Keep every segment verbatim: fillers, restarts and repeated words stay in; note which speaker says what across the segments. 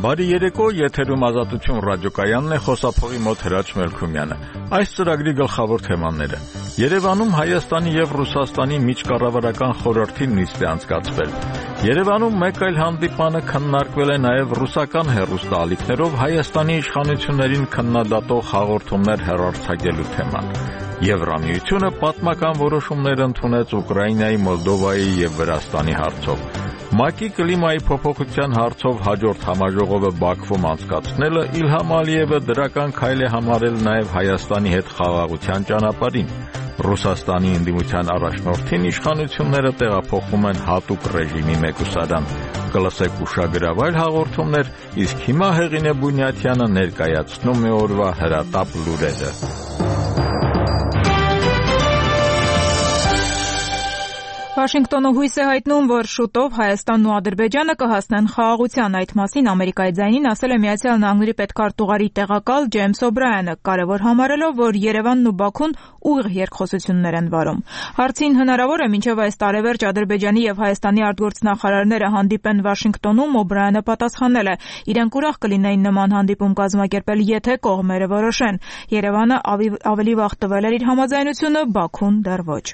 Speaker 1: Բարի երեկո, եթերում Ազատություն ռադիոկայանն է, խոսափողի մոտ Հրաչ Մելքումյանը։ Այս ծրագրի գլխավոր թեմաները. Երևանում Հայաստանի եւ Ռուսաստանի միջկառավարական խորհրդի նիստ է անցկացվել։ Երևանում մեկ այլ հանդիպանը քննարկվել է նաեւ ռուսական հեռուստաալիքներով Հայաստանի իշխանություններին քննադատող հաղորդումներ հեռարձակելու թեման։ Եվրամիությունը պատմական որոշումներ ընդունեց Ուկրաինայի, Մոլդովայի եւ Վրաստանի հարցով։ ՄԱԿ-ի կլիմայի փոփոխության հարցով հաջորդ համաժողովը Բաքվում անցկացնելը Իլհամ Ալիևը դրական քայլ է համարել նաև Հայաստանի հետ խաղաղության ճանապարհին։ Ռուսաստանի ընդդիմության առաջնորդին իշխանությունները տեղափոխում են հատուկ ռեժիմի մեկուսարան։ Կլսեք ուշագրավ այլ հաղորդումներ, իսկ հիմա Հեղինե Բունյաթյանը ներկայացնում է օրվա հրատապ լուրերը։
Speaker 2: Վաշինգտոնը հույս է հայտնում, որ շուտով Հայաստանն ու Ադրբեջանը կհասնեն խաղաղության։ Այդ մասին Ամերիկայի ձայնին ասել է Միացյալ Նահանգների պետքարտուղարի տեղակալ Ջեյմս Օբրայանը, կարևոր համարելով, որ Երևանն ու Բաքուն ուղիղ երկխոսություններ են վարում։ Հարցին հնարավոր է մինչև այս տարեվերջ Ադրբեջանի եւ Հայաստանի արտգործնախարարները հանդիպեն Վաշինգտոնում, Օբրայանը պատասխանել է. իրենք ուրախ կլինեին նման հանդիպում կազմակերպել, եթե կողմերը որոշեն։ Երևանը ավելի վաղ տվել էր իր համաձայնությունը, Բաքուն դեռ ոչ։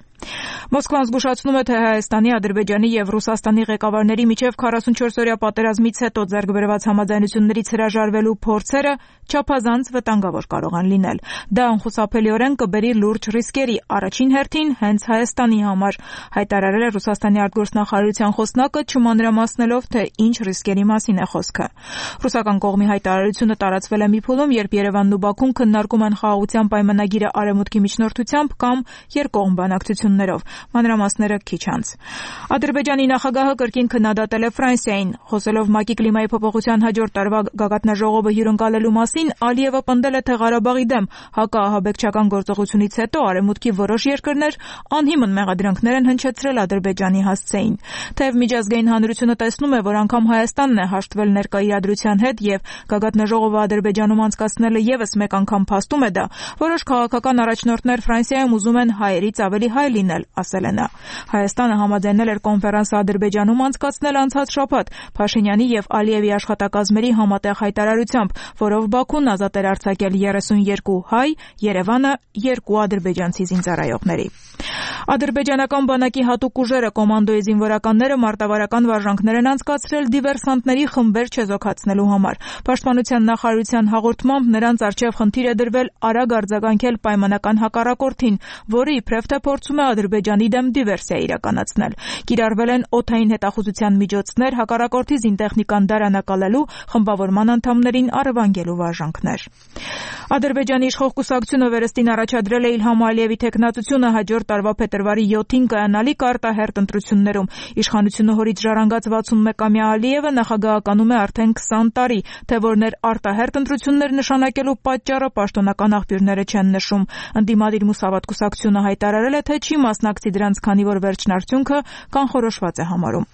Speaker 2: Մոսկվան զգուշացնում է, թե Հայաստանի, Ադրբեջանի եւ Ռուսաստանի ղեկավարների միջև քառասունչորսօրյա պատերազմից հետո ձեռք բերված համաձայնություններից հրաժարվելու փորձերը չափազանց վտանգավոր կարող են լինել։ Դա անխուսափելիորեն կբերի լուրջ ռիսկերի, առաջին հերթին հենց Հայաստանի համար, հայտարարել է Ռուսաստանի արտգործնախարարության խոսնակը, չմանրամասնելով, թե ինչ ռիսկերի մասին է խոսքը։ Ռուսական կողմի հայտարարությունը տարածվել է մի փուլում, երբ Երևանն ու Բաքուն քննարկում են խաղաղության պայմանագիրը Արևմուտքի միջնորդությամբ կամ երկկողմ բանակցություններով։ Մանրամասները քիչ անց։ Ադրբեջանի նախագահը կրկին քննադատել է Ֆրանսիային, խոսելով ՄԱԿ-ի կլիմայի փոփոխության հաջորդ տարվա գագաթնաժողովը հյուրընկալելու մասին, Ալիևը պնդել է, թե Ղարաբաղի դեմ հակաահաբեկչական գործողությունից հետո Արևմուտքի որոշ երկրներ անհիմն մեղադրանքներ են հնչեցրել Ադրբեջանի հասցեին։ Թեև միջազգային հանրությունը տեսնում է, որ անգամ Հայաստանն է հաշտվել ներկա իրադրության հետ եւ գագաթնաժողովը Ադրբեջանում անցկացնելը եւս մեկ անգամ փաստում է դա, որոշ քաղաքական առաջնորդներ Ֆրանսիայում ուզում են հայերից ավելի հայ լինել, ասել է նա։ Հայաստանը համաձայնել էր կոնֆերանսը Ադրբեջանում անցկացնել անցած շաբաթ Փաշինյանի եւ Ալիևի աշխատակազմերի համատեղ հայտարարությամբ, որով Բաքուն ազատ էր արձակել երեսունյոթ հայ, Երևանը երկու ադրբեջանցի զինծառայողների։ Ադրբեջանական բանակի հատուկ ուժերը կոմանդոյի զինվորականները մարտավարական վարժանքներ են անցկացրել դիվերսանտների խմբեր չեզոքացնելու համար։ Պաշտպանության նախարարության հաղորդմամբ նրանց առջև խնդիր է դրվել արագ արձագանքել պայմանական հակառակորդին, որը իբրև թե փորձում է Ադրբեջանի դեմ դիվերսիա իրականացնել։ Կիրառվել են օդային հետախուզության միջոցներ, հակառակորդի զինտեխնիկան դարանակալելու, խմբավորման անդամներին առևանգելու վարժանքներ։ Ադրբեջանի իշխող կուսակցությունը վերստին առաջադրել է Իլհամ Ալիևի թեկնածությունը հաջորդ տարվա փետրվարի յոթին կայանալիք արտահերթ ընտրություններում։ Իշխանությունը հորից ժառանգած վաթսունմեկամյա Ալիևը նախագահականում է արդեն քսան տարի, թե որներ արտահերթ ընտրություններ նշանակելու պատճառը պաշտոնական աղբյուրները չեն նշում։ Ընդդիմադիր Մուսավատ կուսակցությունը հայտարարել է, թե չի մասնակցի դրանց, քանի որ վերջնարդյունքը կանխորոշված է համարում։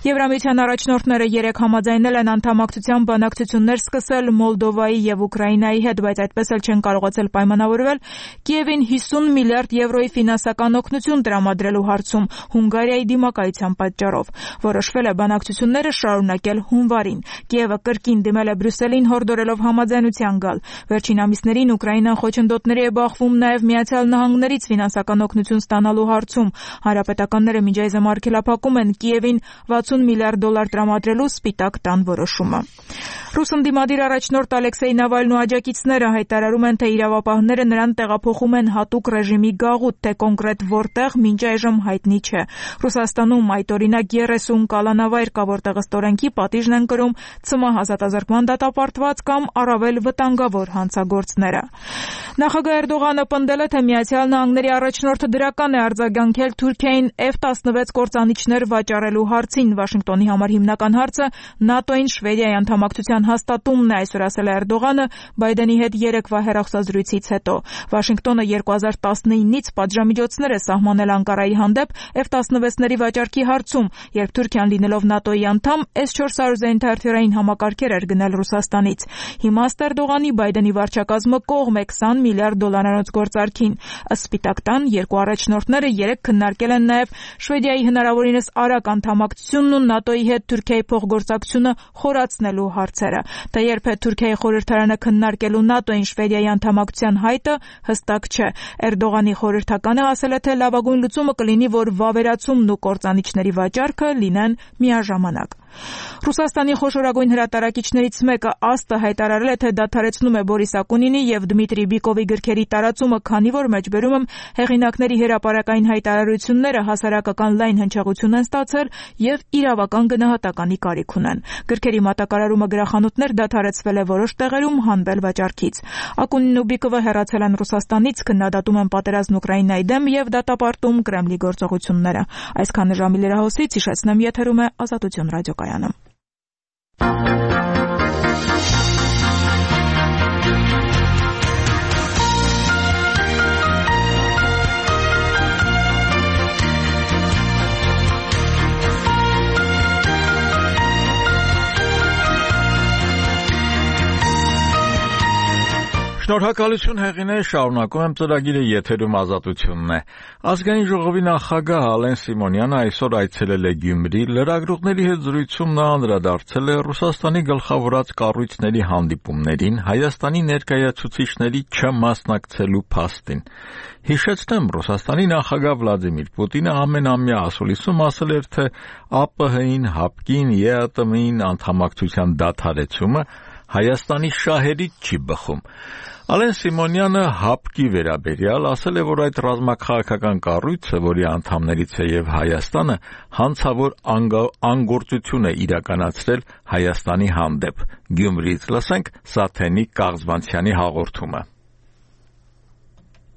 Speaker 2: Եվրամիության առաջնորդները երեկ համաձայնել են անդամակցության բանակցություններ սկսել Մոլդովայի եւ Ուկրաինայի հետ, բայց այդպես էլ չեն կարողացել պայմանավորվել Կիևին հիսուն միլիարդ եվրոյի ֆինանսական օգնություն տրամադրելու հարցում Հունգարիայի դիմակայության պատճառով։ Որոշվել է բանակցությունները շարունակել հունվարին։ Կիևը կրկին դիմել է Բրյուսելին հորդորելով համաձայնության գալ։ Վերջին ամիսներին Ուկրաինան խոչընդոտների է բախվում նաեւ Միացյալ Նահանգներից ֆինանսական օգնություն ստանալու հարցում։ Հանրապետականները միջայզը արգելափակում են Կիևին վաթսուն միլիարդ դոլար տրամադրելու Սպիտակ տան որոշումը։ Ռուս ընդդիմադիր առաջնորդ Ալեքսեյ Նավալնու աջակիցները հայտարարում են, թե իրավապահները նրան տեղափոխում են հատուկ ռեժիմի գաղութ, թե կոնկրետ որտեղ մինչ այժմ հայտնի չէ։ Ռուսաստանում այդ օրինակ երեսուն կալանավայր կա, որտեղ ըստ օրենքի պատիժն են կրում ցմահ ազատազրկման դատապարտված կամ առավել վտանգավոր հանցագործները։ Նախագահ Էրդողանը պնդել է, թե Միացյալ Նահանգների առաջնորդը դրական է արձագանքել Թուրքիային Էֆ տասնվեց կործանիչներ վաճառելու հարցին։ Վաշինգտոնի համար հիմնական հարցը ՆԱՏՕ-ին Շվեդիայի անդամակցության հաստատումն է, այսօր ասել է Էրդողանը Բայդենի հետ երեկվա հեռախոսազրույցից հետո։ Վաշինգտոնը երկու հազար տասնինից պատժամիջոցներ է սահմանել Անկարայի հանդեպ Էֆ տասնվեցների վաճառքի հարցում, երբ Թուրքիան լինելով ՆԱՏՕ-ի անդամ Էս չորս հարյուր զենիթարթյուրային համակարգեր էր գնել Ռուսաստանից։ Հիմա ըստ Էրդողանի Բայդենի վարչակազմը կողմ է քսան միլիարդ դոլարանոց գործարքին։ Ըստ Սպիտակ տան երկու առաջնորդ առաջնորդները երեկ քննարկել են նաև Շվեդիայի հնարավորինս արագ անդամակցությունն ու ՆԱՏՕ-ի հետ Թուրքիայի փոխգործակցությունը խորացնելու հարցերը։ Թե երբ է Թուրքիայի խորհրդարանը քննարկելու ՆԱՏՕ-ին Շվեդիայի անդամակցության հայտը, հստակ չէ։ Էրդողանի խորհրդականը ասել է, թե լավագույն լուծումը կլինի, որ վավերացումն ու կործանիչների վաճառքը լինեն միաժամանակ։ Ռուսաստանի խոշորագույն հրատարակիչներից մեկը ԱՍՏ-ը հայտարարել է, թե դադարեցնում է Բորիս Ակունինի եւ Դմիտրի Բիկովի գրքերի տարածումը, քանի որ մեջբերում եմ հեղինակների հրապարակային հայտարարությունները հասարակական լայն հնչեղություն են ստացել եւ իրավական գնահատականի կարիք ունեն։ Գրքերի մատակարարումը գրախանութներ դադարեցվել է որոշ տեղերում հանվել վաճառքից։ Ակունինն ու Բիկովը հեռացել են Ռուսաստանից, քննադատում են պատերազմն Ուկրաինայի դեմ եւ դատապարտում Կրեմլի գործողությունները։ Այսքանը ժամի լրահոսից, հիշեցնեմ, եթերում է Ազատություն ռադիոկայանը։
Speaker 1: Շնորհակալություն Հեղինե, շարունակում եմ ծրագիրը, եթերում Ազատությունն է։ Ազգային ժողովի նախագահ Ալեն Սիմոնյանը այսօր այցելել է Գյումրի, լրագրողների հետ զրույցում նա անդրադարձել է Ռուսաստանի գլխավորած կառույցների հանդիպումներին, Հայաստանի ներկայացուցիչների չմասնակցելու փաստին։ Հիշեցնեմ, Ռուսաստանի նախագահ Վլադիմիր Պուտինը ամենամյա ասուլիսում ասել էր, թե ԱՊՀ-ին, ՀԱՊԿ-ին, ԵԱՏՄ-ին անդամակցության դադարեցումը Հայաստանի շահերից չի բխում։ Ալեն Սիմոնյանը ՀԱՊԿ-ի վերաբերյալ ասել է, որ այդ ռազմաքաղաքական կառույցը, որի անդամներից է եւ Հայաստանը, հանցավոր անգործություն է իրականացրել Հայաստանի հանդեպ։ Գյումրիից լսենք Սաթենի Կաղզվանցյանի հաղորդումը։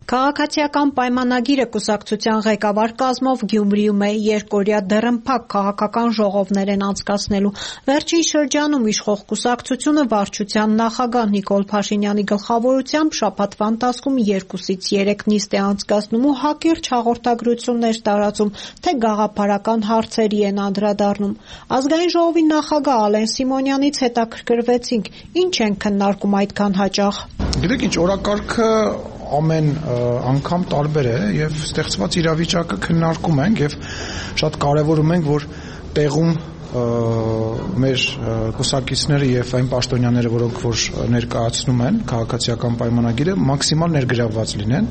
Speaker 3: Քաղաքացիական պայմանագիրը կուսակցության ղեկավար կազմով Գյումրիում է երկօրյա դռնփակ քաղաքական ժողովներ են անցկացնելու։ Վերջին շրջանում իշխող կուսակցությունը վարչության նախագահ Նիկոլ Փաշինյանի գլխավորությամբ շաբաթվա ընթացքում երկուսից երեք նիստ է անցկացնում ու հակիրճ հաղորդագրություններ տարածում, թե գաղափարական հարցերի են անդրադառնում։ Ազգային ժողովի նախագահ Ալեն Սիմոնյանից հետաքրքրվեցինք, ինչ են քննարկում այդքան հաճախ։
Speaker 4: Գիտեք ինչ, օրակարգը ամեն անգամ տարբեր է եւ ստեղծված իրավիճակը քննարկում ենք եւ շատ կարեւորում ենք, որ տեղում մեր կուսակիցները եւ այն պաշտոնյաները, որոնք որ ներկայացնում են քաղաքացիական պայմանագիրը, մաքսիմալ ներգրավված լինեն։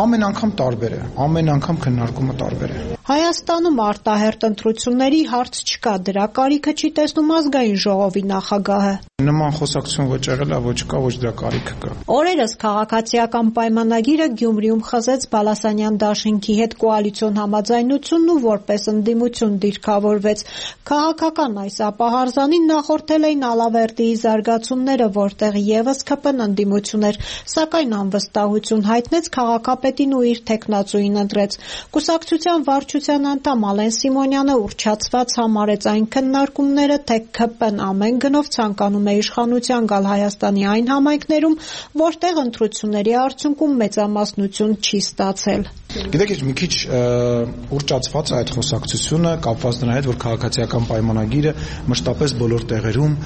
Speaker 4: Ամեն անգամ տարբեր է, ամեն անգամ քննարկումը տարբեր է։
Speaker 3: Հայաստանում արտահերտ ընտրությունների հարց չկա, դրա կարիքը չի տեսնում ազգային ժողովի նախագահը։
Speaker 4: Նման խոսակցություն ոչ եղել է, ոչ կա, ոչ դրա կարիքը կա։
Speaker 3: Օրերս քաղաքացիական պայմանագիրը Գյումրիում խզեց Բալասանյան դաշինքի հետ կոալիցիոն համաձայնությունն ու որպես ընդդիմություն դիրքավորվեց։ Քաղաքական այս ապահարզանին նախորդել էին Ալավերդիի զարգացումները, որտեղ եւս ՔՊ-ն ընդդիմություն էր, սակայն անվստահություն հայտնեց քաղաքապետին ու իր թեկնածուին ընտրեց։ Կուսակցության վարչության անդամ Ալեն Սիմոնյանը ուռճացված համարեց այն քննարկումները, թե ՔՊ-ն ամեն գնով ցանկանում է իշխանության գալ Հայաստանի այն համայնքներում, որտեղ ընտրությունների արդյունքում մեծամասնություն չի ստացել։
Speaker 4: Գիտեք, մի քիչ ուռճացված է այդ խոսակցությունը, կապված նրա հետ, որ քաղաքացիական պայմանագիրը մշտապես բոլոր տեղերում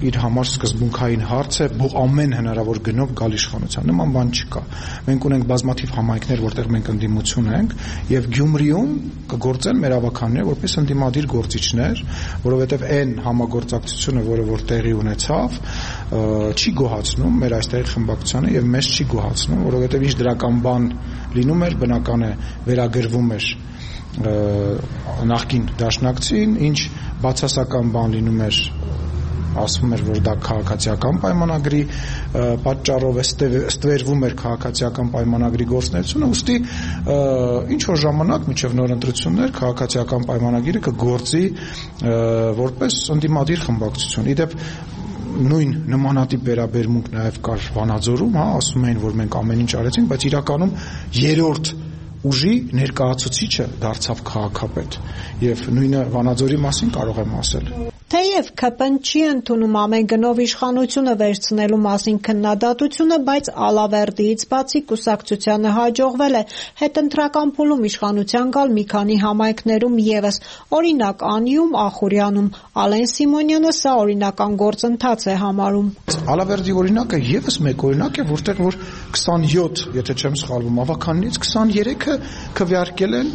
Speaker 4: իր համար սկզբունքային հարց է, ամեն հնարավոր գնով գալ իշխանության։ Նման բան չկա։ Մենք ունենք բազմաթիվ համայնքներ, որտեղ մենք ընդդիմություն ենք, եւ Գյումրիում կգործեն մեր ավականները որպես ընդդիմադիր գործիչներ, որովհետեւ այն համագործակցությունը, որը որ տեղի ունեցավ, չի գոհացնում մեր այստեղի խմբակցությանը եւ մեզ չի գոհացնում, որովհետեւ ինչ դրական բան լինում էր, բնական է վերագրվում էր նախկին դաշնակցին, ինչ բացասական բան լինում էր, ասվում էր, որ դա քաղաքացիական պայմանագրի պատճառով է ստվերվում էր քաղաքացիական պայմանագրի գործունեությունը, ուստի ինչ որ ժամանակ մինչև նոր ընտրություններ քաղաքացիական պայմանագիրը կգործի որպես ընդդիմադիր խմբակցություն։ Իդեպ նույն նմանատիպ վերաբերմունք նաև կար Վանաձորում, հա, ասում էին, որ մենք ամեն ինչ արեցինք, բայց իրականում երրորդ ուժի ներկայացուցիչը դարձավ քաղաքապետ եւ նույնը Վանաձորի մասին կարող եմ ասել։
Speaker 3: Թեև K P N չի ընդունում ամեն գնով իշխանությունը վերցնելու մասին քննադատությունը, բայց Ալավերդիից բացի կուսակցությանը հաջողվել է հետընտրական փուլում իշխանության գալ մի քանի համայնքներում ևս, օրինակ Անիում, Ախուրյանում։ Ալեն Սիմոնյանը սա օրինական գործընթաց է համարում։
Speaker 4: Ալավերդի օրինակը ևս մեկ օրինակ է, որտեղ որ քսանյոթ, եթե չեմ սխալվում, ավականներից քսաներեքը քվեարկել են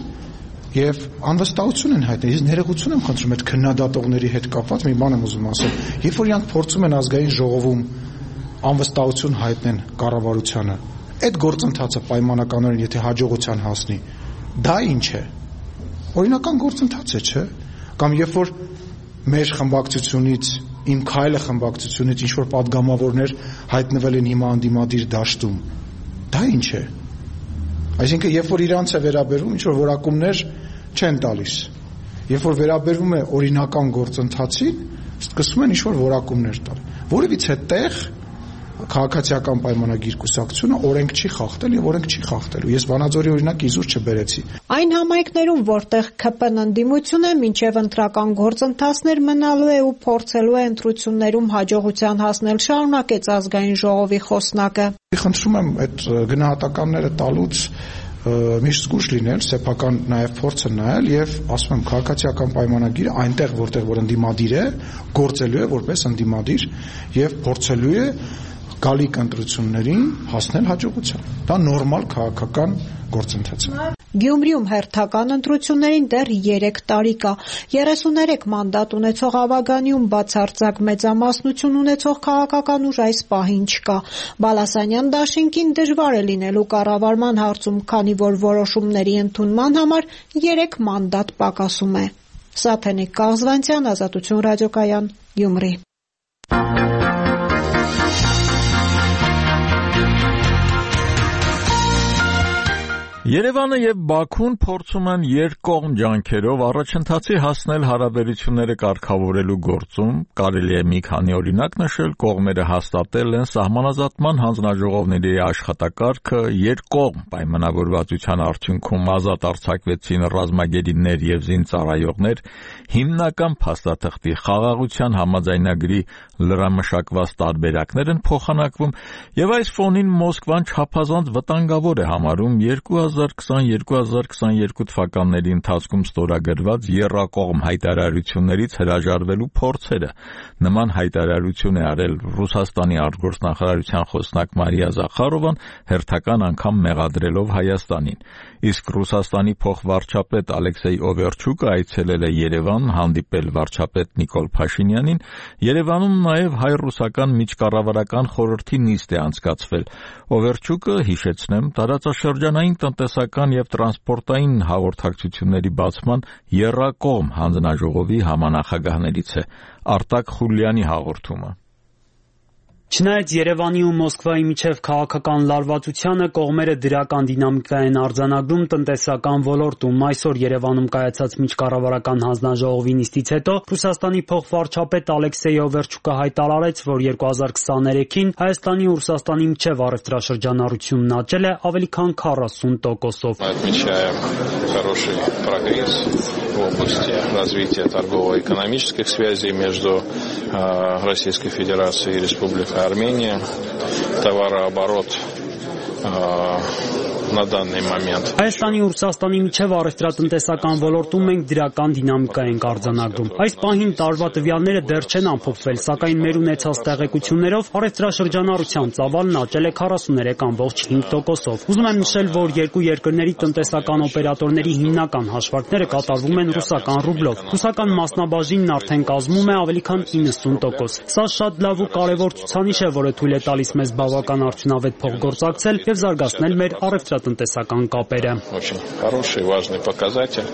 Speaker 4: եւ անվստահություն են հայտնել։ Ես ներողություն եմ խնդրում այդ քննադատողների հետ կապված մի բան եմ ուզում ասել։ Երբ որ իրանք փորձում են ազգային ժողովում անվստահություն հայտնեն կառավարությանը, այդ գործընթացը պայմանականորեն եթե հաջողության հասնի, դա ինչ է։ Օրինական գործընթաց է, չէ՞։ Կամ երբ որ մեր խմբակցությունից, իմ քայլը խմբակցությունից ինչ որ падգամավորներ հայտնվել են հիմա անդիմադիր դաշտում, դա ինչ է։ Այսինքն, երբ որ իրանց է վերաբերվում, ինչ որ որակումներ չեն տալիս։ Երբ որ վերաբերվում է օրինական գործընթացին, սկսում են ինչ որ որակումներ տալ։ Որևիցե տեղ քաղաքացիական պայմանագիր կուսակցությունը օրենք չի խախտել եւ օրենք չի խախտելու։ Ես Վանաձորի օրինակը իզուր չբերեցի։
Speaker 3: Այն համայնքներում, որտեղ K P N ընդդիմություն է, մինչև ընտրական գործընթացներ մնալու է ու փորձելու է ընտրություններում հաջողության հասնել, շարունակեց ազգային ժողովի խոսնակը։
Speaker 4: Խնդրում եմ այդ գնահատականները տալուց միշտ զգուշ լինել, սեփական նաև փորձը նայել եւ ասում եմ քաղաքացիական պայմանագիրը այնտեղ որտեղ որ ընդդիմադիր է, գործելու է որպես ընդդիմադիր եւ փորձելու է գալիք ընտրություններին հասնել հաջողության։ Դա նորմալ քաղաքական գործընթաց է։
Speaker 3: Գյումրիում հերթական ընտրություններին դեռ երեք տարի կա։ երեսուներեք մանդատ ունեցող Աբագանիում բացարձակ մեծամասնություն ունեցող քաղաքական ուժ այս պահին չկա։ Բալասանյան դաշինքին դժվար է լինելու կառավարման հարցում, քանի որ որոշումների ընդունման համար երեք մանդատ պակասում է։ Սաթենիկ Կաղզվանցյան, Ազատություն ռադիոկայան, Գյումրի։
Speaker 1: Երևանը եւ Բաքուն փորձում են երկկողմ ջանքերով առաջընթացի հասնել հարաբերությունները կարգավորելու գործում, կարելի է մի քանի օրինակ նշել, կողմերը հաստատել են սահմանազատման հանձնաժողովների աշխատակարգը, երկկողմ պայմանավորվածության արդյունքում ազատ արձակվեցին ռազմագերիներ եւ զինծառայողներ, հիմնական փաստաթղթի խաղաղության համաձայնագրի լրամշակված տարբերակներ են փոխանակվում եւ այս ֆոնին Մոսկվան չափազանց վտանգավոր է համարում երկու հազար քսան երկու հազար քսաներկու թվականների ընթացքում ստորագրված եռակողմ հայտարարություններից հրաժարվելու փորձերը։ Նման հայտարարություն է արել Ռուսաստանի արտգործնախարարության խոսնակ Մարիա Զախարովան, հերթական անգամ մեղադրելով Հայաստանին։ Իսկ Ռուսաստանի փոխվարչապետ Ալեքսեյ Օվերչուկը այցելել է Երևան, հանդիպել վարչապետ Նիկոլ Փաշինյանին։ Երևանում նաև հայ-ռուսական միջկառավարական խորհրդի նիստ է անցկացվել։ Օվերչուկը, հիշեցնեմ, տարածաշրջանային տնտեսական եւ տրանսպորտային հաղորդակցությունների բացման եռակողմ հանձնաժողովի համանախագահներից է։ Արտակ Խուլյանի հաղորդումը։
Speaker 5: Չնայած Երևանի ու Մոսկվայի միջև քաղաքական լարվածությանը կողմերը դրական դինամիկա են արձանագրում տնտեսական ոլորտում։ Այսօր Երևանում կայացած միջկառավարական հանձնաժողովի նիստից հետո Ռուսաստանի փոխվարչապետ Ալեքսեյ Օվերչուկը հայտարարեց, որ երկու հազար քսաներեքին Հայաստանի ու Ռուսաստանի միջև առևտրաշրջանառությունն աճել է ավելի քան քառասուն տոկոսով։
Speaker 6: В области развития торгово-экономических связей между э, Российской Федерацией и Республикой Армения, товарооборот э, на данный момент.
Speaker 5: Հայաստանի ու Ռուսաստանի միջև առևտրատնտեսական ոլորտում մենք դրական դինամիկա ենք արձանագրում։ Այս պահին տարվա տվյալները դեռ չեն ամփոփվել, սակայն մեր ունեցած տեղեկություններով առևտրաշրջանառության ծավալն աճել է քառասուներեք կόμք հինգ տոկոսով։ Ուզում եմ նշել, որ երկու երկրների տնտեսական օպերատորների հիմնական հաշվարկները կատարվում են ռուսական ռուբլով։ Ռուսական մասնաբաժինն արդեն կազմում է ավելի քան իննսուն տոկոս։ Սա շատ լավ ու կարևոր ցուցանիշ է, որը թույլ է տալիս մեզ բավական արդյունավետ փոխգործակցել եւ զարգացնել մեր առևտրատնտեսական կապերը։
Speaker 6: Очень хороший, важный показатель,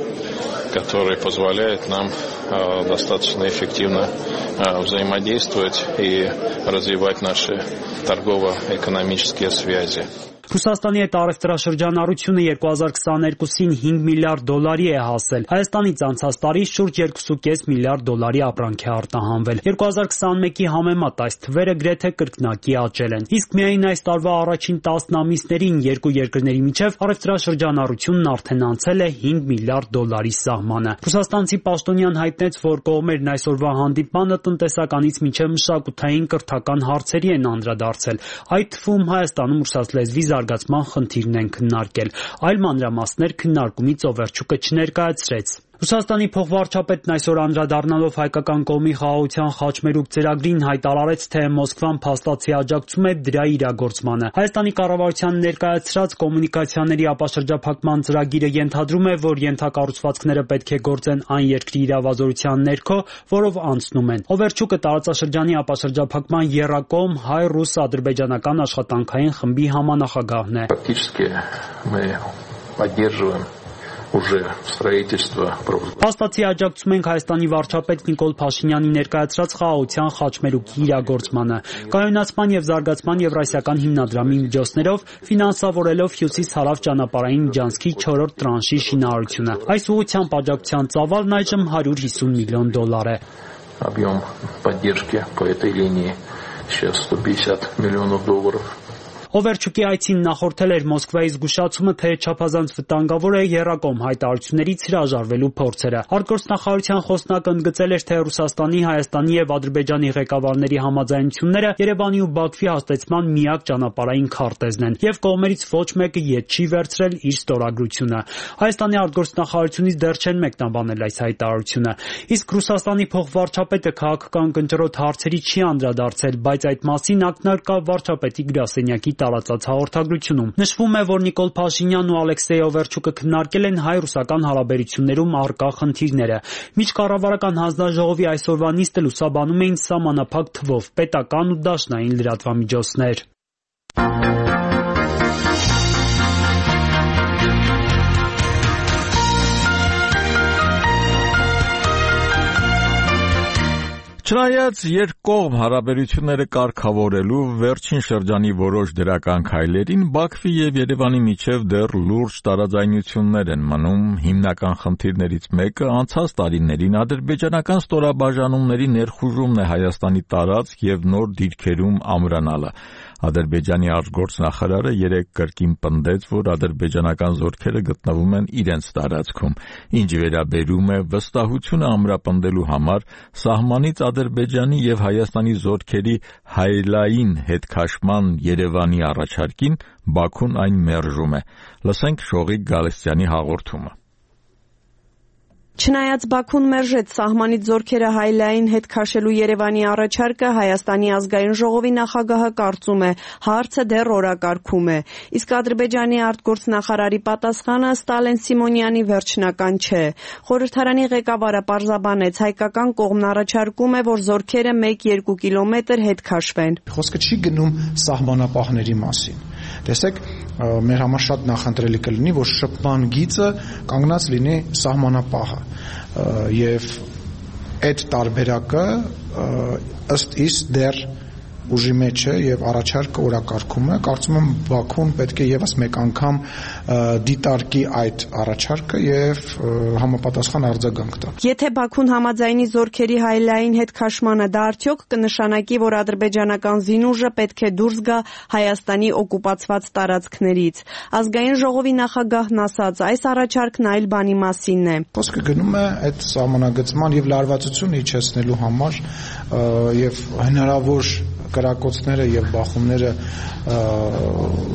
Speaker 6: который позволяет нам э, достаточно эффективно э, взаимодействовать и развивать наши торгово-экономические связи.
Speaker 5: Ռուսաստանի հետ առևտրաշրջանառությունը երկու հազար քսաներկուսին հինգ միլիարդ դոլարի է հասել։ Հայաստանից անցած տարի շուրջ երկու կoma պենս միլիարդ դոլարի ապրանք է արտահանվել։ երկու հազար քսաներկուի համեմատ այս թվերը գրեթե կրկնակի աճել են։ Իսկ միայն այս տարվա առաջին տասն ամիսներին երկու երկրների միջև առևտրաշրջանառությունն արդեն անցել է հինգ միլիարդ դոլարի սահմանը։ Ռուսաստանցի պաշտոնյան հայտնեց, որ կողմերն այսօրվա հանդիպմանը տնտեսականից մինչև մշակութային կրթական հարցերի են անդրադարձել, այդ թվում Հայաստանում ռուսաց լեզվի զարգացման խնդիրն են քննարկել։ Այլ մանրամասներ քննարկումից Օվերչուկը չներկայացրեց։ Ռուսաստանի փոխվարչապետն այսօր անդրադառնալով հայկական կողմի խաղաղության խաչմերուկ ծրագրին հայտարարեց, թե Մոսկվան փաստացի աջակցում է դրա իրագործմանը։ Հայաստանի կառավարության ներկայացրած կոմունիկացիաների ապաշրջափակման ծրագիրը ենթադրում է, որ ենթակառուցվածքները պետք է գործեն այն երկրի իրավազորության ներքո, որով անցնում են։ Օվերչուկը տարածաշրջանի ապաշրջափակման եռակողմ հայ-ռուս-ադրբեջանական աշխատանքային խմբի համանախագահն է։ Փաստացի աջակցում ենք Հայաստանի վարչապետ Նիկոլ Փաշինյանի ներկայացրած խաղաղության խաչմերուկի իրագործմանը, կայունացման եւ զարգացման Եվրասիական հիմնադրամի միջոցներով ֆինանսավորելով Հյուսիս-Հարավ ճանապարհային միջանցքի չորրորդ տրանշի շինարարությունը։ Այս ուղղությամբ աջակցության ծավալն այժմ հարյուր հիսուն միլիոն դոլար է։
Speaker 6: Объем поддержки по этой линии сейчас сто пятьдесят миллионов долларов.
Speaker 5: Օվերչուկի այցին նախորդել էր Մոսկվայի զգուշացումը, թե չափազանց վտանգավոր է եռակողմ հայտարարություններից հրաժարվելու փորձերը։ Արտգործնախարարության խոսնակը ընդգծել էր, թե Ռուսաստանի, Հայաստանի եւ Ադրբեջանի ղեկավարների համաձայնությունները Երևանի ու Բաքվի հաստատման միակ ճանապարհային քարտեզն են, եւ կողմերից ոչ մեկը ետ չի վերցրել իր ստորագրությունը։ Հայաստանի արտգործնախարարությունից դեռ չեն մեկնաբանել այս հայտարարությունը։ Իսկ Ռուսաստանի փոխվարչապետը քաղաքական կնճռոտ հարցերի չի անդրադարձել, բայց այդ մասին ակնարկա վարչապետի գրասենյակի տարածած հաղորդագրությունում։ Նշվում է, որ Նիկոլ Փաշինյանն ու Ալեքսեյ Օվերչուկը քննարկել են հայ-ռուսական հարաբերություններում առկա խնդիրները։ Միջկառավարական հանձնաժողովի այսօրվա նիստը լուսաբանում էին սահմանափակ թվով պետական ու դաշնային լրատվամիջոցներ։
Speaker 1: Չնայած երկկողմ հարաբերությունները կարգավորելու վերջին շրջանի որոշ դրական քայլերին, Բաքվի եւ Երևանի միջև դեռ լուրջ տարաձայնություններ են մնում։ Հիմնական խնդիրներից մեկը անցած տարիներին ադրբեջանական ստորաբաժանումների ներխուժումն է Հայաստանի տարածք եւ նոր դիրքերում ամրանալը։ Ադրբեջանի արտգործնախարարը երեկ կրկին պնդեց, որ ադրբեջանական զորքերը գտնվում են իրենց տարածքում, ինչ վերաբերում է վստահությունը ամրապնդելու համար սահմանից Ադրբեջանի եւ Հայաստանի զորքերի հայելային հետքաշման Երևանի առաջարկին, Բաքուն այն մերժում է։ Լսենք Շողիկ Գալստյանի հաղորդումը։
Speaker 7: Չնայած Բաքուն մերժեց սահմանից զորքերը հայելային հետ քաշելու Երևանի առաջարկը, Հայաստանի ազգային ժողովի նախագահը կարծում է, հարցը դեռ օրակարգում է։ Իսկ Ադրբեջանի արտգործնախարարի պատասխանը Ստալեն Սիմոնյանի վերջնական չէ։ Խորհրդարանի ղեկավարը պարզաբանեց, հայկական կողմն առաջարկում է, որ զորքերը մեկ-երկու կիլոմետր հետ քաշվեն։
Speaker 4: Խոսքը չի գնում սահմանապահների մասին։ Տեսեք, մեր համար շատ նախընտրելի կլինի, որ շփման գիծը կանգնած լինի սահմանապահը եւ այդ տարբերակը ըստ իս դեռ ուժի մեջ է եւ առաջարկը օրակարգում է։ Կարծում եմ Բաքուն պետք է եւս մեկ անգամ դիտարկի այդ առաջարկը եւ համապատասխան արձագանք տա։
Speaker 7: Եթե Բաքուն համաձայնի զորքերի հայելային հետ քաշմանը, դա արդյոք կնշանակի, որ ադրբեջանական զինուժը պետք է դուրս գա Հայաստանի օկուպացված տարածքներից։ Ազգային ժողովի նախագահն ասաց, այս առաջարկն այլ բանի մասինն է։
Speaker 4: Խոսքը գնում է այդ սահմանագծման եւ լարվածությունը իջեցնելու համար եւ հնարավոր կրակոցները եւ բախումները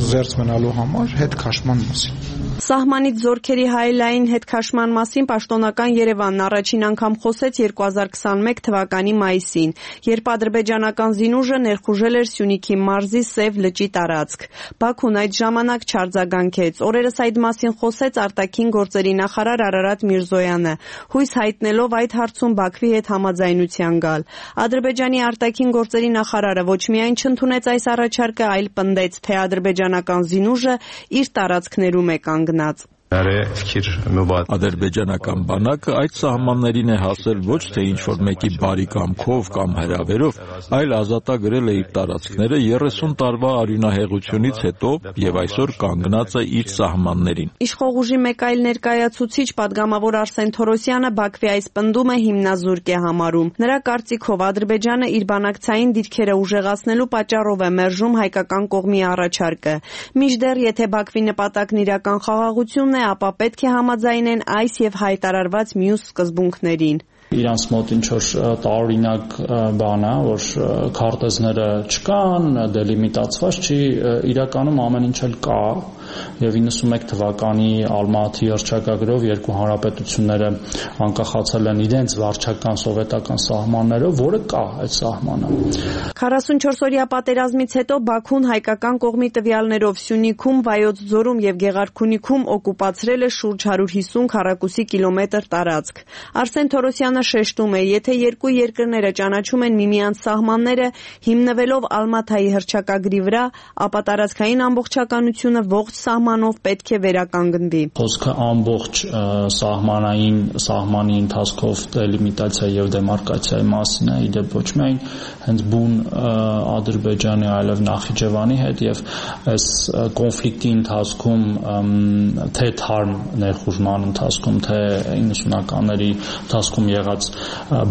Speaker 4: զերծ մնալու համար հետ քաշման մասին։
Speaker 7: Սահմանից զորքերի հայելային հետ քաշման մասին պաշտոնական Երևանն առաջին անգամ խոսեց երկու հազար քսաներկու թվականի մայիսին, երբ ադրբեջանական զինուժը ներխուժել էր Սյունիքի մարզի Սև լճի տարածք։ Բաքուն այդ ժամանակ չարձագանքեց։ Օրերս այդ մասին խոսեց արտաքին գործերի նախարար Արարատ Միրզոյանը, հույս հայտնելով այդ հարցում Բաքվի հետ համաձայնության գալ։ Ադրբեջանի արտաքին գործերի նախարարը ոչ միայն չընդունեց այս առաջարկը, այլ պնդեց, թե ադրբեջանական զինուժը իր տարածքներում է կանգնած։
Speaker 1: Ադրբեջանական բանակը այդ սահմաններին է հասել ոչ թե ինչ-որ մեկի բարի կամքով կամ հրավերով, այլ ազատագրել է իր տարածքները երեսուն տարվա արյունահեղությունից հետո եւ այսօր կանգնած է իր սահմաններին։
Speaker 7: Իշխող ուժի մեկ այլ ներկայացուցիչ պատգամավոր Արսեն Թորոսյանը Բաքվի այս պնդումը հիմնազուրկ է համարում։ Նրա կարծիքով Ադրբեջանը իր բանակցային դիրքերը ուժեղացնելու պատճառով է մերժում հայկական կողմի առաջարկը։ Մինչդեռ եթե Բաքվի նպատակն իրական խաղաղությունն է, ապա պետք է համաձայնեն այս եւ հայտարարված մյուս սկզբունքներին։
Speaker 8: Իրանց մոտ ինչ-որ տարօրինակ բան է, որ քարտեզները չկան, դելիմիտացված չի, իրականում ամեն ինչ էլ կա, եւ իննսունմեկ թվականի Ալմատի հռչակագրով երկու հանրապետությունները անկախացել են իրենց վարչական սովետական սահմաններով, որը կա այդ սահմանը։
Speaker 7: քառասունչորս-օրյա պատերազմից հետո Բաքուն հայկական կողմի տվյալներով Սյունիքում, Վայոց ձորում եւ Գեղարքունիքում օկուպացրել է շուրջ հարյուր հիսուն քառակուսի կիլոմետր տարածք։ Արսեն Թորոսյանը շեշտում է, եթե երկու երկրները ճանաչում են միմյանց սահմանները հիմնվելով Ալմաթայի հռչակագրի վրա, ապա տարածքային ամբողջականությունը ողջ սահմանով պետք է վերականգնվի։
Speaker 8: Խոսքը ամբողջ սահմանային սահմանի ընթացքով դելիմիտացիա եւ դեմարկացիայի մասին է, իդեպ ոչ միայն հենց բուն Ադրբեջանի, այլև Նախիջևանի հետ եւ այս կոնֆլիկտի ընթացքում թե թարմ ներխուժման ընթացքում, թե իննսունականների ընթացքում եղած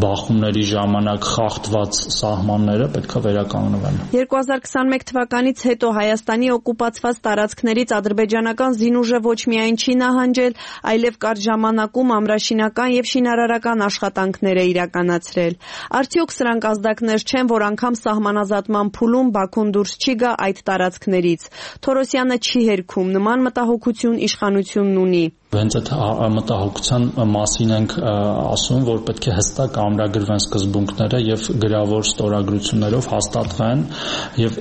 Speaker 8: բախումների ժամանակ խախտված սահմանները պետք է վերականգնվեն։
Speaker 7: երկու հազար քսաներեք թվականից հետո Հայաստանի օկուպացված տարածքներից ադրբեջանական զինուժը ոչ միայն չի նահանջել, այլև կարճ ժամանակում ամրաշինական եւ շինարարական աշխատանքներ է իրականացրել։ Արդյոք սրանք ազդակներ չեն, որ անգամ սահմանազատման փուլում Բաքուն դուրս չի գա այդ տարածքներից։ Թորոսյանը չի հերքում, նման մտահոգություն իշխանությունն ունի։
Speaker 8: Հենց այդ մտահոգության մասին ենք ասում, որ պետք է հստակ ամրագրվեն սկզբունքները եւ գրավոր ստորագրություններով հաստատվեն եւ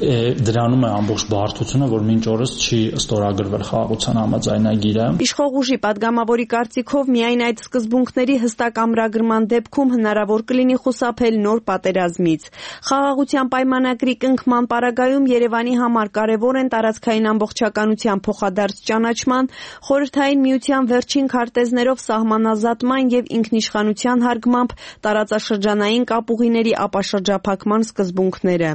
Speaker 8: դրանում է ամբողջ բարդությունը, որ մինչ օրս չի ստորագրվել խաղաղության համաձայնագիրը։
Speaker 7: Իշխող ուժի պատգամավորի կարծիքով միայն այդ սկզբունքների հստակ ամրագրման դեպքում հնարավոր կլինի խուսափել նոր պատերազմից։ Խաղաղության պայմանագրի կնքման պարագայում Երևանի համար կարևոր են տարածքային ամբողջականության փոխադարձ ճանաչման, խորհրդային միության վերջին քարտեզներով սահմանազատման եւ ինքնիշխանության հարգմամբ տարածաշրջանային կապուղիների ապաշրջափակման սկզբունքները։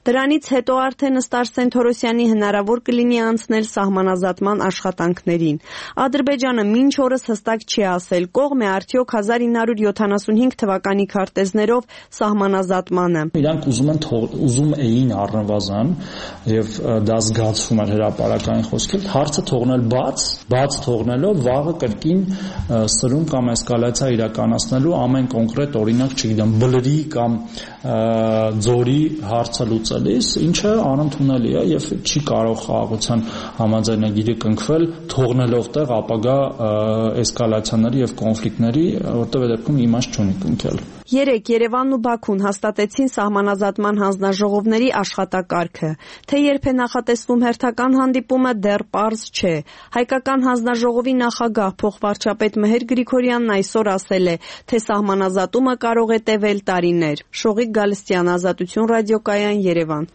Speaker 7: Դրանից հետո արդեն ըստ Արսեն Թորոսյանի հնարավոր կլինի անցնել սահմանազատման աշխատանքներին։ Ադրբեջանը մինչ օրս հստակ չի ասել կողմ է արդյոք հազար ինը հարյուր յոթանասունհինգ թվականի քարտեզներով սահմանազատմանը։
Speaker 8: Իրանք ուզում են ուզում էին առնվազն եւ դա զգացվում է հրապարակային խոսքեր, հարցը թողնել բաց, բաց թողնելով վաղը կրկին սրում կամ էսկալացիա իրականացնելու ամեն կոնկրետ օրինակ, չգիտեմ, բլրի կամ ձորի հարցը լուծելիս, ինչը անընդունելի է եւ չի կարող խաղաղության համաձայնագիրը կնքվել թողնելով տեղ ապագա էսկալացիաների եւ կոնֆլիկտների, որտեղ դեպքում իմաստ չունի կնքել։
Speaker 7: Երեկ Երևանն ու Բաքուն հաստատեցին սահմանազատման հանձնաժողովների աշխատակարգը։ Թե երբ է նախատեսվում հերթական հանդիպումը, դեռ պարզ չէ։ Հայկական հանձնաժողովի նախագահ փոխվարչապետ Մեհեր Գրիգորյանն այսօր ասել է, թե սահմանազատումը կարող է տևել տարիներ։ Շողիկ Գալստյան, Ազատություն ռադիոկայան, Երևան։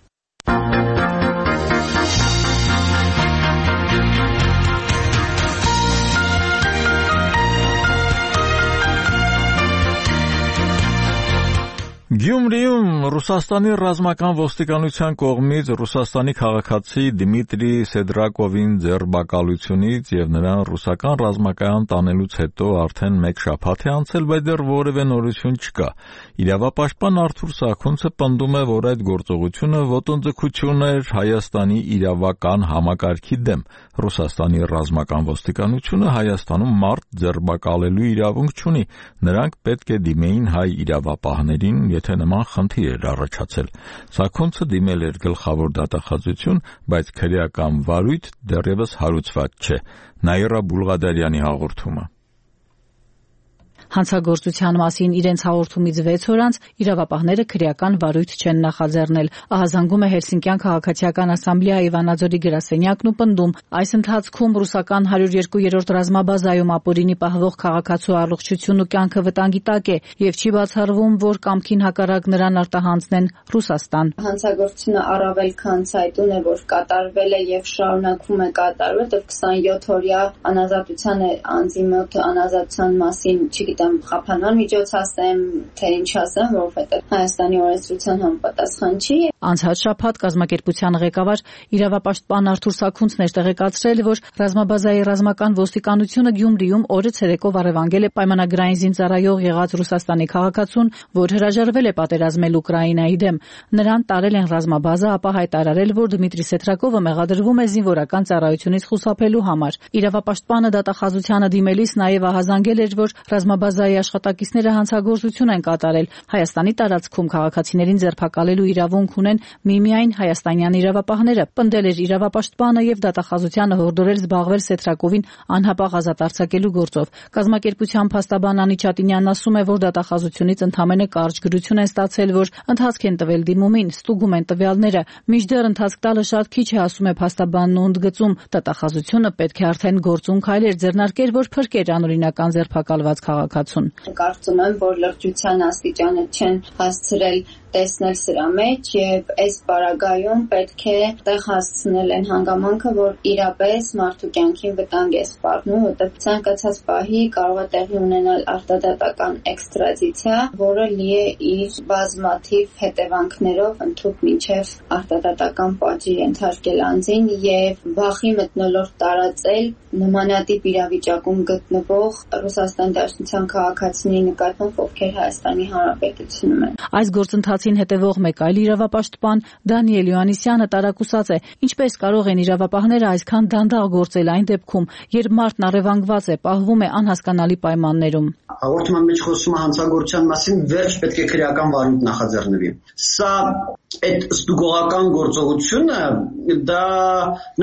Speaker 1: Գյումրիում Ռուսաստանի ռազմական ոստիկանության կողմից Ռուսաստանի քաղաքացի Դմիտրի Սեդրակովին ձերբակալությունից եւ նրան ռուսական ռազմակայան տանելուց հետո արդեն մեկ շաբաթ է անցել, բայց դեռ որևէ նորություն չկա։ Իրավապաշտպան Արթուր Սաքունցը պնդում է, որ այդ գործողությունը ոտնձգություն էր Հայաստանի իրավական համակարգի դեմ։ Ռուսաստանի ռազմական ոստիկանությունը Հայաստանում մարդ ձերբակալելու իրավունք չունի։ Նրանք պետք է դիմեին հայ իրավապահներին, եթե նման խնդիր էր առաջացել։ Սաքունցը դիմել էր գլխավոր դատախազություն, բայց քրեական վարույթ դեռևս հարուցված չէ։ Նաիրա Բուլղադարյանի հաղորդումը։
Speaker 9: Հանցագործության մասին իրենց հաղորդումից վեց օր անց իրավապահները քրեական վարույթ չեն նախաձեռնել։ Ահազանգում է Հելսինկյան քաղաքացիական ասամբլեայի Վանաձորի գրասենյակն ու պնդում, այս ընթացքում ռուսական հարյուր երկու ռազմաբազայում ապօրինի պահվող քաղաքացու առողջությունն ու կյանքը վտանգի տակ է եւ չի բացառվում, որ կամքին հակառակ նրան արտահանձնեն Ռուսաստան։
Speaker 10: Հանցագործությունը առավել քան ցայտուն է, որ կատարվել է եւ շարունակվում է կատարվել, դեռ քսանյոթ օրյա անազատության է անձի մոտ անազատության մասին, չգիտեմ, խափանման միջոց ասեմ, թե ինչ ասեմ, որովհետեւ Հայաստանի օրենսդրության համապատասխան չի։
Speaker 9: Անցած շաբաթ կազմակերպության ղեկավար իրավապաշտպան Արթուր Սաքունցն էր տեղեկացրել, որ ռազմաբազայի ռազմական ոստիկանությունը Գյումրիում օրը ցերեկով առևանգել է պայմանագրային զինծառայող եղած Ռուսաստանի քաղաքացուն, որ հրաժարվել է պատերազմել Ուկրաինայի դեմ։ Նրան տարել են ռազմաբազա, ապա հայտարարել, որ Դմիտրի Սեթրակովը մեղադրվում է զինվորական ծառայությունից խուսափելու համար։ Իրավապաշտպանը դատախազությանը դիմելիս նաև ահազանգել էր, որ ռազմաբազայի աշխատակիցները հանցագործություն են կատարել։ Հայաստանի տարածքում քաղաքացիներին ձերբակալելու իրավունք ունեն միմիայն հայաստանյան իրավապահները։ Պնդել էր իրավապաշտպանը եւ դատախազությանը հորդորել զբաղվել Սեթրակովին անհապաղ ազատ արձակելու գործով։ Կազմակերպության փաստաբան Անի Չատինյանն ասում է, որ դատախազությունից ընդամենը կարճ գրություն են ստացել, որ ընթացք են տվել դիմումին, ստուգում են տվյալները։ Մինչդեռ ընթացք տալը շատ քիչ է, ասում է փաստաբանն ու ընդգծում, դատախազությունը պետք է արդեն գործուն քայլեր ձեռնարկեր, որ փրկեր անօրինական ձերբակալված քաղաքացուն։
Speaker 10: Կարծում եմ, որ լրջության աստիճանը չեն հասցրել տեսնել սրա մեջ եւ այս պարագայում պետք է տեղ հասցնել են հանգամանքը, որ իրապես մարդու կյանքին վտանգ է սպառնում, որտեղ ցանկացած պահի կարող է տեղի ունենալ արտադատական էքստրադիցիա, որը լի է իր բազմաթիվ հետևանքներով, ընդհանուր մինչև արտադատական պատժի ենթարկել անձին եւ վախի մթնոլորտ տարածել նմանատիպ իրավիճակում գտնվող Ռուսաստան Դաշնության քաղաքացիների նկատմամբ, ովքեր Հայաստանի Հանրապետությունում են։
Speaker 9: Այս գործընթացին հետևող մեկ այլ իրավապաշտպան Դանիել Յոհաննիսյանը տարակուսած է, ինչպես կարող են իրավապահները այսքան դանդաղ գործել այն դեպքում, երբ մարդն առևանգված է, պահվում է անհասկանալի պայմաններում։
Speaker 11: Հաղորդման մեջ խոսում է հանցագործության մասին, վերջ պետք է քրեական վարույթ նախաձեռնվի։ Սա այդ ստուգողական գործողությունը դա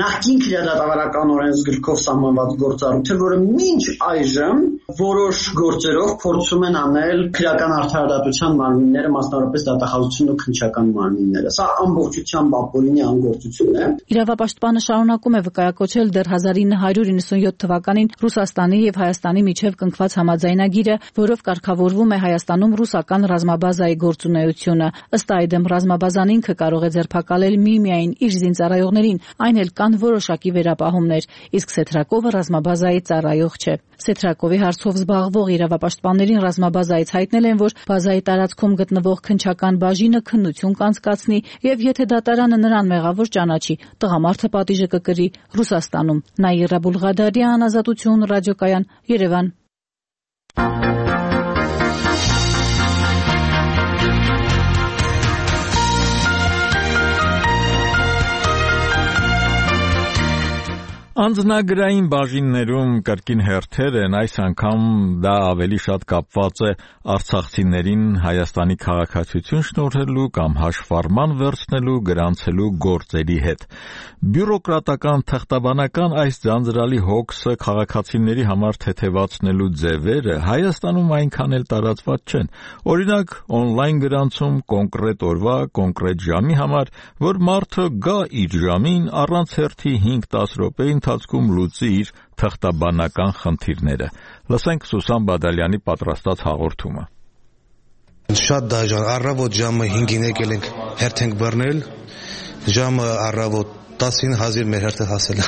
Speaker 11: նախկին քրեադատավարական օրենսգրքով սահմանված գործառույթ է, որը մինչ այժմ որոշ գործերով փորձում են անել քրեական արդարադատության մարմինները, մասնավորապես դատախազությունն ու քննչական մարմինները։ Սա ամբողջությամբ ապօրինի անգործություն է։
Speaker 9: Իրավապաշտպանը շարունակում է վկայակոչել դեռ հազար ինը հարյուր իննսունյոթ թվականին Ռուսաստանի եւ Հայաստանի միջև կնքված համաձայնագիրը, որով կարգավորվում է Հայաստանում ռուսական ռազմաբազայի գործունեությունը։ Ըստ այդմ ռազմաբազան ինքը կարող է ձերբակալել միմիայն իր զինծառայողներին, այն էլ կան որոշակի վերապահումներ, իսկ Սեթրակովը ռազմաբազայի ծառայող չէ։ Սեթրակովի հարցով զբաղվող իրավապաշտպաններին ռազմաբազայից հայտնել են, որ բազայի տարածքում գտնվող քննչական բաժինը քննություն կանցկացնի եւ եթե դատարանը նրան մեղավոր ճանաչի, տղամարդը պատիժը կկրի Ռուսաստանում։ Նաիրա Բուլղադարյան, Ազատություն, ռադիոկայան, Երևան։
Speaker 1: Անձնագրային բաժիններում կրկին հերթեր են, այս անգամ դա ավելի շատ կապված է արցախցիներին Հայաստանի քաղաքացիություն շնորհելու կամ հաշվառման վերցնելու գրանցելու գործերի հետ։ Բյուրոկրատական թղթաբանական այս ձանձրալի հոգսը քաղաքացիների համար թեթևացնելու ձևերը Հայաստանում այնքան էլ տարածված չեն։ Օրինակ, օնլայն գրանցում կոնկրետ օրվա, կոնկրետ ժամի համար, որ մարդը գա իր ժամին առանց հերթի հինգ-տասը րոպե ընթացքում լուծի իր թղթաբանական խնդիրները։ Լսենք Սուսան Բադալյանի պատրաստած հաղորդումը։
Speaker 12: Շատ դաժան, առավոտ ժամը հինգին եկել ենք հերթ ենք բռնել, ժամը առավոտ տասին հազիվ մեր հերթը հասել է։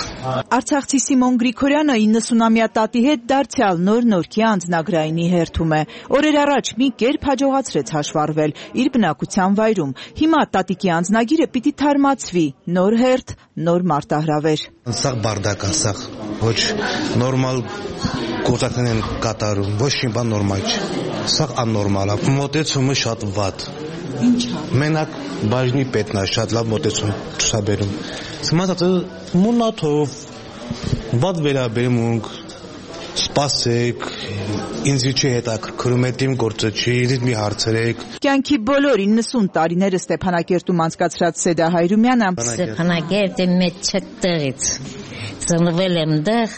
Speaker 13: Արցախցի Սիմոն Գրիգորյանը իննսունամյա տատի հետ դարձյալ նոր նորքի անձնագրայինի հերթում է։ Օրեր առաջ մի կերպ հաջողացրեց հաշվառվել իր բնակության վայրում։ Հիմա տատիկի անձնագիրը պիտի թարմացվի, նոր հերթ, նոր մարտահրավեր։
Speaker 12: Սաղ բարդակ է, սաղ ոչ նորմալ գործակցներ են կատարում, ոչ մի բան նորմալ չէ։ Սաղ աննորմալ է, մոտեցումը շատ վատ։
Speaker 13: Ինչ է։
Speaker 12: Մենակ բաժնի պետն է շատ լավ մոտեցում ցուսաբերում։ Սմատը մունաթով վատ վերաբերմունք սպասեք, ինձ չի հետաքրքրում է իմ գործը չի, ինձ մի հարցրեք։
Speaker 13: Կյանքի բոլոր իննսուն տարիները Ստեփանակերտում անցկացրած Սեդա Հայրումյանը
Speaker 14: Ստեփանակերտի մեջ չտեղից ծնվել եմ դեղ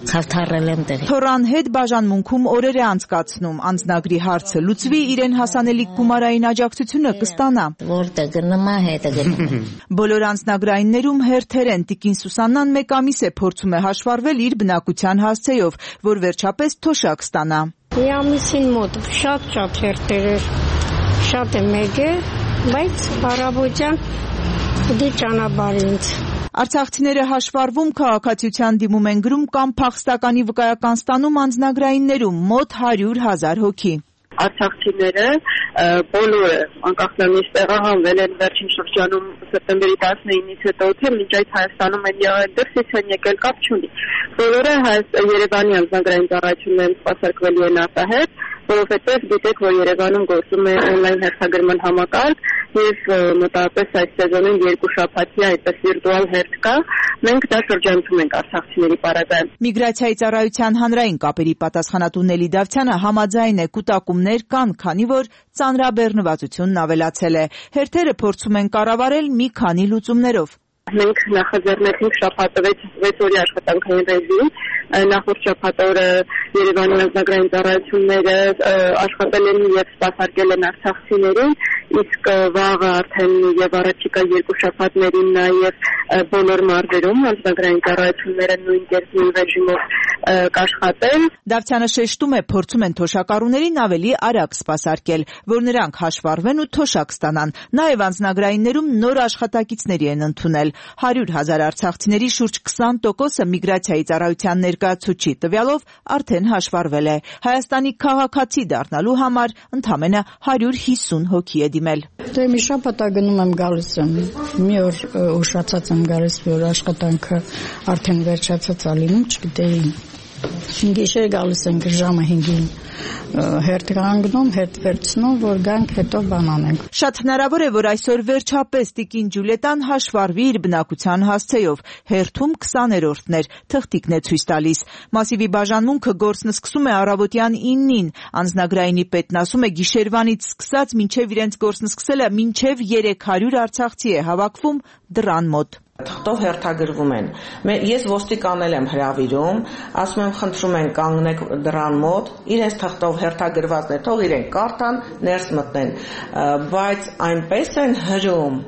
Speaker 14: Քավթարել եմ տեղի։
Speaker 13: Թորան հետ բաժանմունքում օրեր է անցկացնում, անձնագրի հարցը լուծվի, իրեն հասանելիք գումարային աջակցությունը կստանա։
Speaker 14: Որտե գնում է, հետը գնում։
Speaker 13: Բոլոր անձնագրայիններում հերթեր են։ Տիկին Սուսաննան մեկ ամիս է փորձում է հաշվառվել իր բնակության հասցեով, որ վերջապես թոշակ ստանա։
Speaker 15: Մի ամիսին մոտ շատ-շատ հերթեր էր, շատ է մեկ է, բայց առավոտյան դի ճանապարհ ինձ։
Speaker 13: Արցախցիները հաշվառվում քաղաքացիության դիմում են գրում կամ փախստականի վկայական ստանում անձնագրայիններում մոտ հարյուր հազար հոգի։
Speaker 16: Արցախցիները բոլորը անկախ նրանից տեղահանվել են վերջին շրջանում սեպտեմբերի տասնինից հետո, թե մինչ այդ Հայաստանում են եղել, դրսից են եկել, կապ չունի։ Բոլորը Երևանի անձնագրային ծառայություններում սպասարկվելու են արտահերթ, որովհետև գիտեք, որ Երևանում գործում է օնլայն հերթագրման համակարգ եւ մոտավորապես այս սեզոնին երկու շաբաթի այդպես վիրտուալ հերթ կա։ Մենք դա շրջանցում ենք արցախցիների պարագայում։
Speaker 13: Միգրացիայի ծառայության հանրային կապերի պատասխանատու Նելի Դավթյանը համաձայն է, կուտակումներ կան, քանի որ ծանրաբեռնվածությունն ավելացել է։ Հերթերը փորձում են կառավարել մի քանի լուծումներով։
Speaker 16: Մենք նախաձեռնեցինք շաբաթվեց վեց օրի աշխատանքային ռեժիմ, նախորդ շաբաթօրը Երևանի անձնագրային ծառայությունները աշխատել են եւ սպասարկել են արցախցիներին, իսկ վաղը արդեն եւ առաջիկա երկու շաբաթներին նաեւ բոլոր մարզերում անձնագրային ծառայությունները նույն կերպի ռեժիմով կաշխատեն։
Speaker 13: Դավթյանը շեշտում է, փորձում են թոշակառուներին ավելի արագ սպասարկել, որ նրանք հաշվառվեն ու թոշակ ստանան։ Նաեւ անձնագրայիններում նոր աշխատակիցների են ընդունել։ հարյուր հազար արցախցիների շուրջ քսան տոկոսը միգրացիայի ծառայության ներկայացուցչի տվյալով արդեն հաշվառվել է։ Հայաստանի քաղաքացի դառնալու համար ընդամենը հարյուր հիսուն հոգի է դիմել։
Speaker 15: Դե մի շաբաթ գնում եմ գալիս եմ։ Մի օր ուշացած եմ գալիս, որ աշխատանքը արդեն վերջացած է լինում, չգիտեի։ Գիշեր գալիս ենք ժամը հինգին հերթ կանգնում, հերթ վերցնում, որ գանք հետո բան անենք։
Speaker 13: Շատ հնարավոր է, որ այսօր վերջապես տիկին Ջուլիետան հաշվառվի իր բնակության հասցեով։ Հերթում քսաներորդն էր, թղթիկն է ցույց տալիս։ Մասիվի բաժանմունքը գործն սկսում է առավոտյան իննին։ Անձնագրայինի պետն ասում է գիշերվանից սկսած մինչև իրենց գործն սկսելը մինչև երեք հարյուր արցախցի է հավաքվում դռան մոտ։
Speaker 17: Թղթով հերթագրվում են։ Ես ոստիկանել եմ հրավիրում, ասում եմ խնդրում են կանգնեք դռան մոտ, իրենց թղթով հերթագրվածն է, թող իրենք կարդան, ներս մտնեն, բայց այնպես են հրում,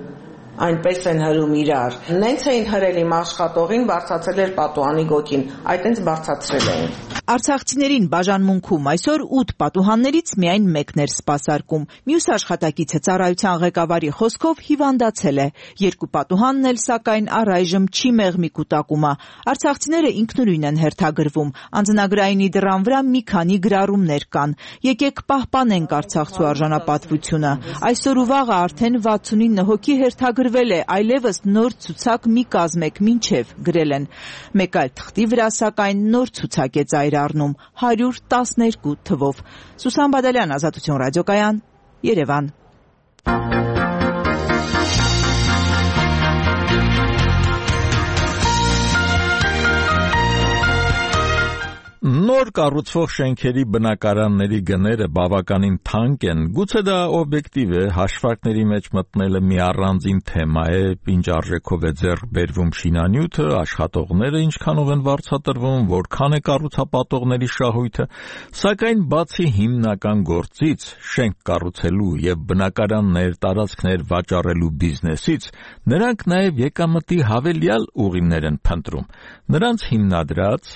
Speaker 17: այնպես են հրում իրար։ Նենց էին հրել իմ աշխատողին, բարձացել էր պատուհանի գոտին, այտենց բարձացրել էին։
Speaker 13: Արցախցիներին բաժանմունքում այսօր ութ պատուհաններից միայն մեկն էր սպասարկում։ Մյուս աշխատակիցը ծառայության ղեկավարի խոսքով հիվանդացել է։ Երկու պատուհանն էլ սակայն առայժմ չի մեղմի կուտակումը։ Արցախցիները ինքնուրույն են հերթագրվում։ Անձնագրայինի դռան վրա մի քանի գրառումներ կան։ Եկեք պահպանենք արցախցու արժանապատվությունը։ Այսօր ու վաղը արդեն վաթսունինը հոգի հերթագրվել է, այլևս նոր ցուցակ մի կազմեք մինչև գրել են։ Մեկ այլ թղթի վրա սակայն նոր ցուցակ է ծայր առնում հարյուր տասներկու թվով։ Սուսան Բադալյան, Ազատություն ռադիոկայան, Երևան։
Speaker 1: Նոր կառուցվող շենքերի բնակարանների գները բավականին թանկ են, գուցե դա օբյեկտիվ է, հաշվարկների մեջ մտնելը մի առանձին թեմա է, ինչ արժեքով է ձեռք բերվում շինանյութը, աշխատողները ինչքանով են վարձատրվում, որքան է կառուցապատողների շահույթը, սակայն բացի հիմնական գործից, շենք կառուցելու եւ բնակարաններ, տարածքներ վաճառելու բիզնեսից, նրանք նաեւ եկամտի հավելյալ ուղիներ են փնտրում։ Նրանց հիմնադրած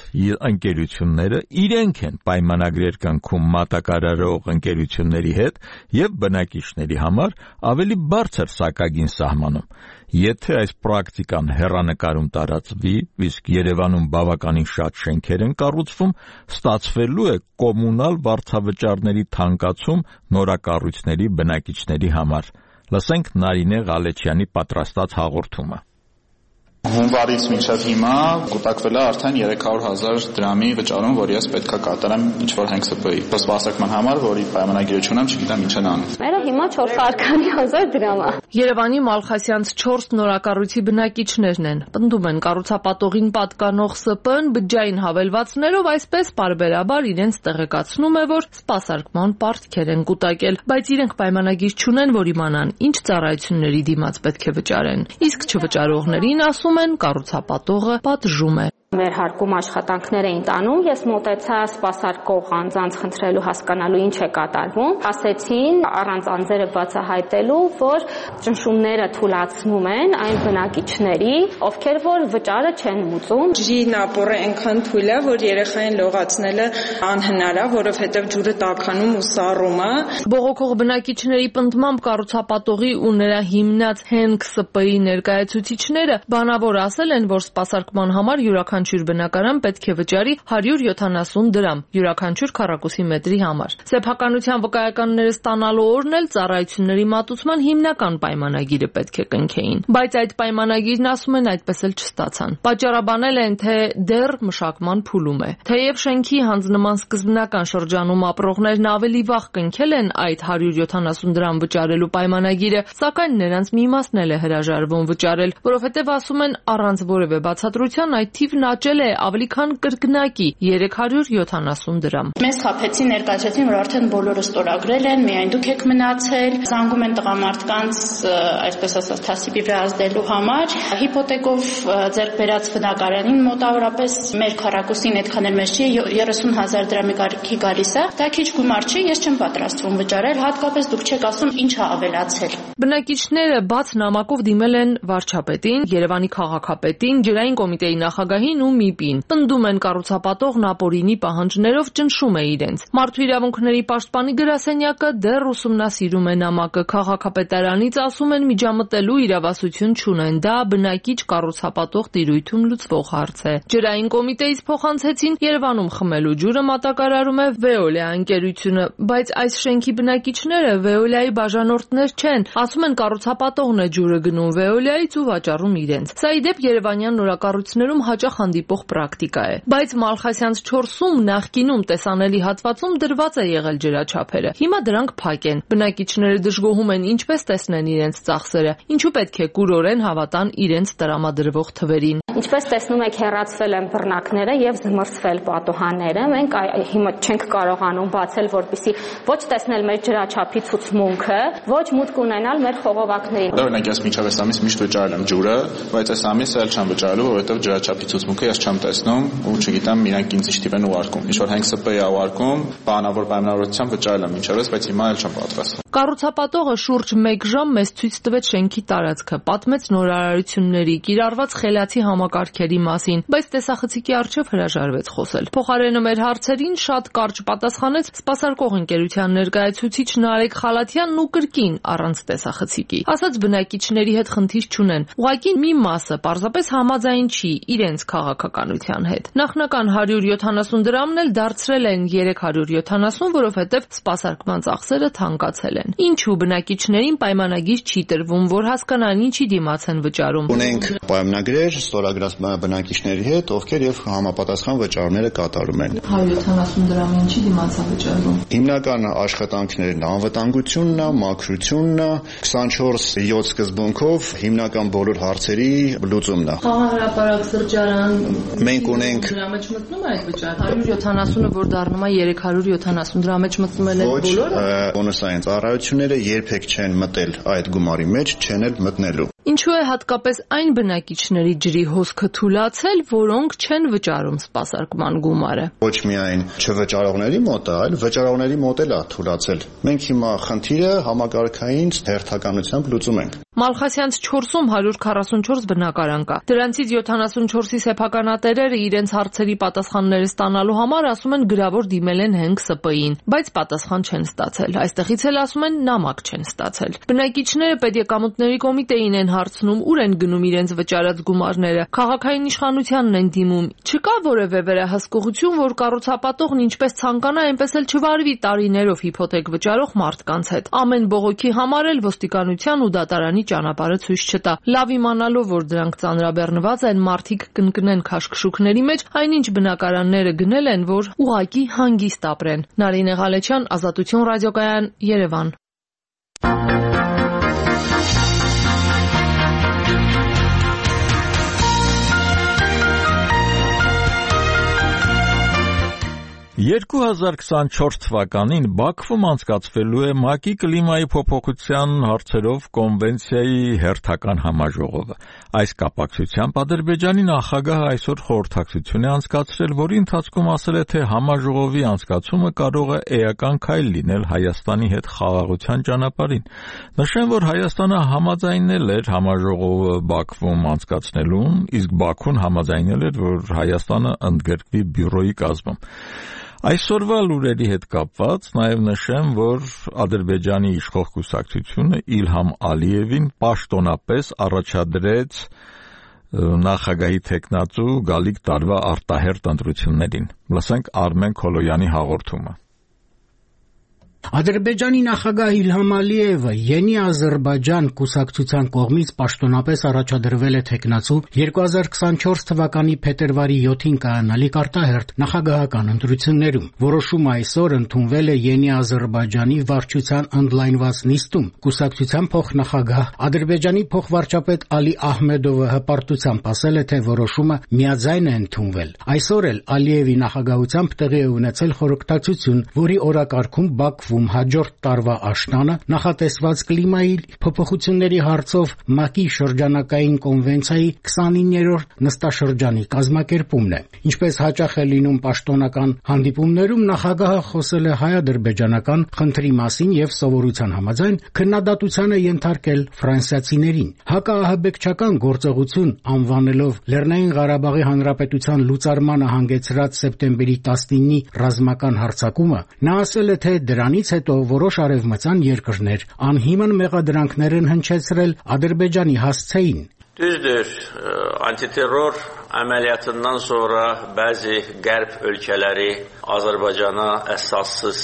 Speaker 1: ընկերությունները իրենք են պայմանագրեր կնքում մատակարարող ընկերությունների հետ եւ բնակիչների համար ավելի բարձր սակագին սահմանում։ Եթե այս պրակտիկան հեռանկարում տարածվի, իսկ Երևանում բավականին շատ շենքեր են կառուցվում, ստացվելու է կոմունալ վարձավճարների թանկացում նորակառույցների բնակիչների համար։ Լսենք Նարինե Ղալեչյանի պատրաստած հաղորդումը։
Speaker 18: Հունվարից մինչև հիմա կուտակվել է արդեն երեք հարյուր հազար դրամի վճարում, որ ես պետք է կատարեմ ինչ-որ հենք ՍՊ-ի սպասարկման համար, որի պայմանագրություն եմ, չգիտեմ ինչ են անում։
Speaker 19: Մերը հիմա չորս հազար դրամ է։
Speaker 20: Երևանի Մալխասյանց չորս նորակառույցի բնակիչներն են։ Պնդում են կառուցապատողին պատկանող ՍՊ-ն բջջային հավելվածներով այսպես պարբերաբար իրենց տեղեկացնում է, որ սպասարկման պարտքեր են կուտակել, բայց իրենք պայմանագիր չունեն, որ իմանան ինչ ծառայությունների դիմաց պետք է վճարեն։ Իսկ չվճարողներին ասում են կառուցապատողը պատժում է։
Speaker 19: Վերհարկում աշխատանքներ էին տանում, ես մոտեցա սպասարկող անձանց խնդրելու հասկանալու ինչ է կատարվում, ասեցին առանց անձերը բացահայտելու, որ ճնշումները թուլացնում են այն բնակիչների, ովքեր որ վճարը չեն մուծում։
Speaker 21: Ջրի նապորը այնքան թույլ է, որ երեխային լողացնելը անհնար է, որովհետև ջուրը տաքանում ու սառում է։
Speaker 20: Բողոքող բնակիչների պնդմամբ կառուցապատողի ու նրա հիմնած Հենք Ս Պ ի ներկայացուցիչները բանավոր ասել են, որ սպասարկման համար յուրաքանչյուր բնակարան պետք է վճարի հարյուր յոթանասուն դրամ յուրաքանչյուր քառակուսի մետրի համար։ Սեփականության վկայականները ստանալու օրն էլ ծառայությունների մատուցման հիմնական պայմանագիրը պետք է կնքեին, բայց այդ պայմանագիրն ասում են այդպես էլ չստացան։ Պատճառաբանել են, թե դեռ մշակման փուլում է։ Թեև շենքի հանձնման սկզբնական շրջանում ապրողներն ավելի վաղ կնքել են այդ հարյուր յոթանասուն դրամ վճարելու պայմանագիրը, սակայն նրանց մի մասն էլ է հրաժարվում վճարել, որովհետև ասում են առանց որևէ բացատրության այդ թիվն աճել է ավելի քան կրկնակի երեք հարյուր յոթանասուն դրամ։
Speaker 22: Մեզ խաբեցին, ներկայացրեցին, որ արդեն բոլորը ստորագրել են, միայն դուք եք մնացել, զանգում են տղամարդկանց, այսպես ասած, թասիբի վրա ազդելու համար, հիպոթեկով ձեռք բերած բնակարանին մոտավորապես մեր քառակուսին այդքան էլ մեծ չի, երեսուն հազար դրամի կարգի գալիս է, դա քիչ գումար չի, ես չեմ պատրաստվում վճարել, հատկապես դուք չեք ասում ինչ է ավելացել։
Speaker 20: Բնակիչները բաց նամակով դիմել են վարչապետին, Երևանի քաղաքապետին, ջրային կոմիտեի նախագահին ու ՄԻՊ-ին։ Պնդում են կառուցապատողն ապօրինի պահանջներով ճնշում է իրենց։ Մարդու իրավունքների պաշտպանի գրասենյակը դեռ ուսումնասիրում է նամակը, քաղաքապետարանից ասում են միջամտելու իրավասություն չունեն, դա բնակիչ կառուցապատող տիրույթում լուծվող հարց է։ Ջրային կոմիտեից փոխանցեցին Երևանում խմելու ջուրը մատակարարում է Veolia ընկերությունը, բայց այս շենքի բնակիչները Veolia-ի բաժանորդներ չեն, ասում են կառուցապատողն է ջուրը գնում Veolia-ից ու վաճառում իրենց։ Սա ի դեպ Երևանյան նորակառույցներում հաճախ հանդիպող պրակտիկա է, բայց Մալխասյանց չորսում նախկինում տեսանելի հատվածում դրված է եղել ջրաչափերը։ Հիմա դրանք փակ են։ Բնակիչները դժգոհում են ինչպես տեսնեն իրենց ծախսերը, ինչու պետք է կուրորեն հավատան իրենց տրամադրվող թվերին։
Speaker 19: Ինչպես տեսնում եք, հեռացվել են բռնակները եւ զմռցվել պատուհանները։ Մենք հիմա չենք կարողանում բացել, որպեսզի ոչ տեսնել մեր ջրաչափի ցուցմունքը, ոչ մուտք ունենալ մեր խողովակներին։
Speaker 18: Օրինակ ես մինչև այս ամիս միշտ վճարել եմ ջուրը, բայց այս ամիս էլ չեմ վճարելու, որովհետեւ ջրաչափի ցուցմունքը ես չեմ տեսնում ու չգիտեմ իրանք ինձ ինչ տիպ են ուղարկում։ Ինչ որ Հենք Ս Պ-ի ուղարկում, բանավոր պայմանավորությամբ վճարել եմ մինչև այս, բայց հիմա էլ չեմ պատրաստվում։
Speaker 20: Կառուցապատողը շուրջ մեկ ժամ մեզ ցույց տվեց շենքի տարածքը, պատմեց նորարարությունների, կիրառված խելացի համակարգերի մասին, բայց տեսախցիկի առջև հրաժարվեց խոսել։ Փոխարենը մեր հարցերին շատ կարճ պատասխանեց սպասարկող ընկերության ներկայացուցիչ Նարեկ Խալաթյանն ու կրկին առանց տեսախցիկի։ Ասաց բնակիչների հետ խնդիր չունեն, ուղղակի մի մասը պարզապես համաձայն չի իրենց քաղաքականության հետ։ Նախնական հարյուր յոթանասուն դրամն էլ դարձրել են երեք հարյուր յոթանասուն, որովհետև սպասարկման ծախսերը թանկացել են։ Ինչու բնակիչներին պայմանագիր չի տրվում, որ հասկանան ինչի դիմաց են վճարում։
Speaker 23: Ունենք պայմանագրեր ստորագրած բնակիչների հետ, ովքեր եւ համապատասխան վճարները կատարում են։
Speaker 20: հարյուր յոթանասուն դրամի ինչի դիմաց է վճարվում։
Speaker 23: Հիմնական աշխատանքներն անվտանգությունն է, մաքրությունն է, քսանչորս յոթ սկզբունքով հիմնական բոլոր հարցերի լուծումն է։
Speaker 20: Խաղահրապարակ սրճարան
Speaker 23: մենք ունենք
Speaker 20: դրա մեջ մտնում է այդ վճարը։ հարյուր յոթանասունը որ դառնում է երեք հարյուր յոթանասուն դրա մեջ մտնում են այդ բոլորը։
Speaker 23: Բոնուսային ծառայությունները երբեք չեն մտել այդ գումարի մեջ, չեն էլ մտնելու։
Speaker 20: Ինչու է հատկապես այն բնակիչների ջրի հոսքը թուլացել, որոնք չեն վճարում սպասարկման գումարը։
Speaker 23: Ոչ միայն չվճարողների մոտ, այլ վճարողների մոտ էլ է թուլացել։ Մենք հիմա խնդիրը համակարգային հերթականությամբ լուծում ենք։
Speaker 20: Մալխասյանց չորսում հարյուր քառասունչորս բնակարան կա։ Դրանցից յոթանասունչորսի սեփականատերերը իրենց հարցերի պատասխանները ստանալու համար ասում են գրավոր դիմել են Հենք Ս Պ-ին, բայց պատասխան չեն ստացել։ Այստեղից էլ ասում են նամակ չեն ստացել։ Բնակիչները պետեկամուտների կոմիտեին են հարցնում, ուր են գնում իրենց վճարած գումարները։ Քաղաքային իշխանությանն են դիմում։ Չկա որևէ վերահսկողություն, որ կառուցապատողն ինչպես ցանկանա, այնպես էլ չվարվի տարիներով հիփոթեք վճարող մարդկանց հետ։ Ամեն բողոքի համար էլ ոստիկանության ու դատարանի ճանապարհը ցույց չտա։ Լավ իմանալով, որ դրանք ծանրաբեռնված են, մարդիկ կընկնեն քաշքշուկների մեջ, այնինչ բնակարանները գնել են, որ ուղակի հանգիստ ապրեն։ Նարինե Ղալեչյան, Ազատություն ռադիոկայան, Երևան։
Speaker 1: երկու հազար քսանչորս թվականին Բաքվում անցկացվելու է ՄԱԿ-ի կլիմայի փոփոխության հարցերով կոնվենցիայի հերթական համաժողովը։ Այս կապակցությամբ Ադրբեջանի նախագահը այսօր խորհրդակցություն է անցկացրել, որի ընթացքում ասել է, թե համաժողովի անցկացումը կարող է էական քայլ լինել Հայաստանի հետ խաղաղության ճանապարհին։ Նշեմ, որ Հայաստանը համաձայնել էր համաժողովը Բաքվում անցկացնելուն, իսկ Բաքուն համաձայնել էր, որ Հայաստանը ընդգրկվի բյուրոյի կազմում։ Այսօրվա լուրերի հետ կապված նաև նշեմ, որ Ադրբեջանի իշխող կուսակցությունը Իլհամ Ալիևին պաշտոնապես առաջադրեց նախագահի թեկնածու գալիք տարվա արտահերթ ընտրություններին։ Լսենք Արմեն Քոլոյանի հաղորդումը։
Speaker 2: Ադրբեջանի նախագահ Իլհամ Ալիևը Յենի Ադրբեջան կուսակցության կողմից պաշտոնապես առաջադրվել է թեկնածու երկու հազար քսանչորս թվականի փետրվարի յոթին կայանալիք արտահերթ նախագահական ընտրություններում։ Որոշումը այսօր ընդունվել է Յենի Ադրբեջանի վարչության ընդլայնված նիստում։ Կուսակցության փոխնախագահ Ադրբեջանի փոխվարչապետ Ալի Ահմեդովը հպարտությամբ ասել է, թե որոշումը միաձայն է ընդունվել։ Այսօր էլ Ալիևի նախագահությամբ տեղի է ունեցել խորհրդակցություն, որի օրակարգում Բաքվում հաջորդ տարվա աշնանը նախատեսված կլիմայի փոփոխությունների հարցով ՄԱԿ-ի շրջանակային կոնվենցիայի քսանիններորդ նստաշրջանի կազմակերպումն է։ Ինչպես հաճախ է լինում պաշտոնական հանդիպումներում, նախագահը խոսել է հայ-ադրբեջանական խնդրի մասին եւ սովորության համաձայն քննադատության է ենթարկել ֆրանսիացիներին։ Հակաահաբեկչական գործողություն անվանելով Լեռնային Ղարաբաղի Հանրապետության լուծարմանը հանգեցրած սեպտեմբերի տասնինի ռազմական հարձակումը, նա ասել է, թե դրանից հետո որոշ արևմտյան երկրներ անհիմն մեղադրանքներ են հնչեցրել Ադրբեջանի հասցեին։
Speaker 3: Düzdür, antiterror əməliyyatından sonra bəzi qərb ölkələri Azərbaycana əsassız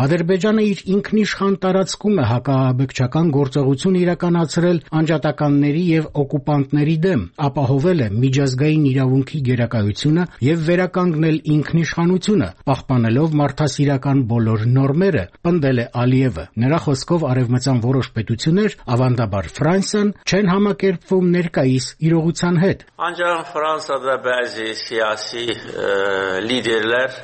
Speaker 2: Ադրբեջանը իր ինքնիշխան տարածքում է հակաահաբեկչական գործողություն իրականացրել անջատականների եւ օկուպանտների դեմ, ապահովել է միջազգային իրավունքի գերակայությունը եւ վերականգնել ինքնիշխանությունը, պահպանելով մարդասիրական բոլոր նորմերը, պնդել է Ալիևը։ Նրա խոսքով արևմտյան որոշ պետություններ, ավանդաբար Ֆրանսիան, չեն համակերպվում ներկայիս իրողության հետ։
Speaker 3: Ancaq Fransada bəzi siyasi liderlər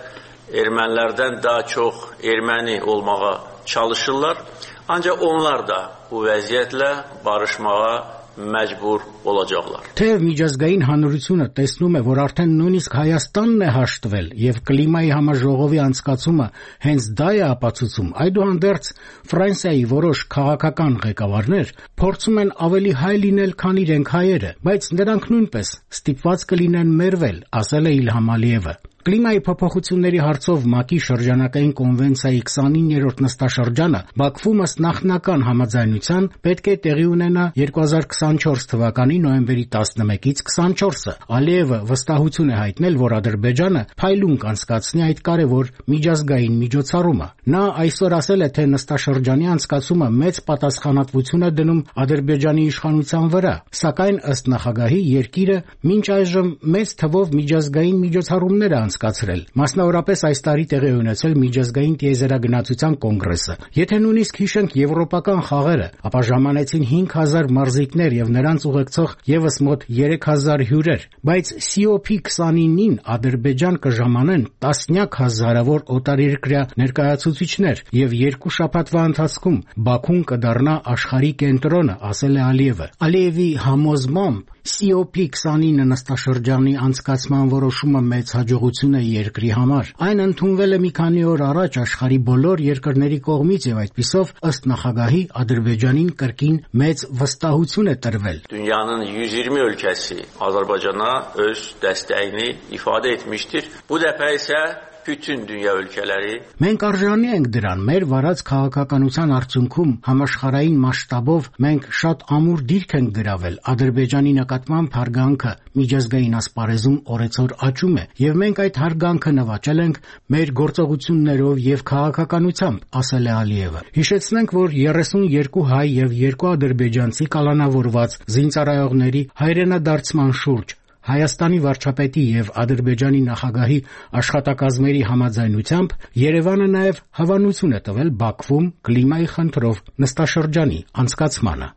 Speaker 3: ermənilərdən daha çox erməni olmağa çalışırlar. Ancaq onlar da bu vəziyyətlə barışmağa məcbur olacaqlar։
Speaker 2: Թեև միջազգային հանրությունը տեսնում է, որ արդեն նույնիսկ Հայաստանն է հաշտվել եւ կլիմայի համաժողովի անցկացումը հենց դա է ապացուցում, այդուհանդերձ Ֆրանսիայի որոշ քաղաքական ղեկավարներ փորձում են ավելի հայ լինել, քան իրենք հայերը, բայց նրանք նույնպես ստիպված կլինեն մերվել, ասել է Իլհամ Ալիևը։ Կլիմայի փոփոխությունների հարցով ՄԱԿ-ի շրջանակային կոնվենցիայի քսանիններորդ նստաշրջանը Բաքվում ըստ նախնական համաձայնության պետք է տեղի ունենա երկու հազար քսանչորս թվականի նոյեմբերի տասնմեկից քսանչորսը։ Ալիևը վստահություն է հայտնել, որ Ադրբեջանը փայլուն կանցկացնի այդ կարևոր միջազգային միջոցառումը։ Նա այսօր ասել է, թե նստաշրջանի անցկացումը մեծ պատասխանատվություն է դնում Ադրբեջանի իշխանության վրա, սակայն ըստ նախագահի երկիրը մինչ այժմ մեծ թվով միջազգային միջոցառումներ է անցկացրել։ Մասնավորապես այս տարի տեղի է ունեցել միջազգային տիեզերագնացության կոնգրեսը։ Եթե նույնիսկ հիշենք եվրոպական խաղերը, ապա ժամանեցին հինգ հազար մարզիկներ եւ նրանց ուղեկցող եւս մոտ երեք հազար հյուրեր, բայց սի օ փի քսանինին Ադրբեջան կժամանեն տասնյակ հազարավոր օտարերկրյա ներկայացուցիչներ եւ երկու շաբաթվա ընթացքում Բաքուն կդառնա աշխարհի կենտրոնը, ասել է Ալիևը։ Ալիևի համոզմամբ սի օ փի քսանինը նստաշրջանի անցկացման որոշումը մեծ հաջողություն է երկրի համար։ Այն ընդունվել է մի քանի օր առաջ աշխարհի բոլոր երկրների կողմից եւ այդպիսով ըստ նախագահի Ադրբեջանին կրկին մեծ վստահություն է տրվել։
Speaker 3: Dünyanın yüz yirmi ölkəsi Azərbaycana öz dəstəyini ifadə etmişdir. Bu dəfə isə bütün dünya ölkələri
Speaker 2: Մենք արժանի ենք դրան։ Մեր վարած քաղաքականության արդյունքում համաշխարհային մասշտաբով մենք շատ ամուր դիրք ենք գրավել։ Ադրբեջանի նկատմամբ հարգանքը միջազգային ասպարեզում օրեցօր աճում է, եւ մենք այդ հարգանքը նվաճել ենք մեր գործողություններով եւ քաղաքականությամբ, ասել է Ալիևը։ Հիշեցնենք, որ երեսունյոթ հայ եւ երկու ադրբեջանցի կալանավորված զինծառայողների հայրենադարձման շուրջ Հայաստանի վարչապետի եւ Ադրբեջանի նախագահի աշխատակազմերի համաձայնությամբ Երևանը նաեւ հավանություն է տվել Բաքվում կլիմայի խնդրով նստաշրջանի անցկացմանը։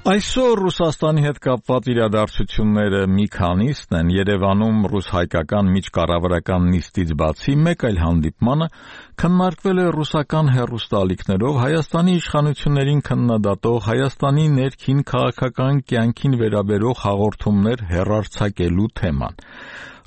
Speaker 1: Այսօր Ռուսաստանի հետ կապված իրադարձությունները մի քանիսն են։ Երևանում ռուս-հայկական միջկառավարական նիստից բացի մեկ այլ հանդիպմանը քննարկվել է ռուսական հեռուստաալիքներով Հայաստանի իշխանություններին քննադատող Հայաստանի ներքին քաղաքական կյանքին վերաբերող հաղորդումներ հեռարձակելու թեման։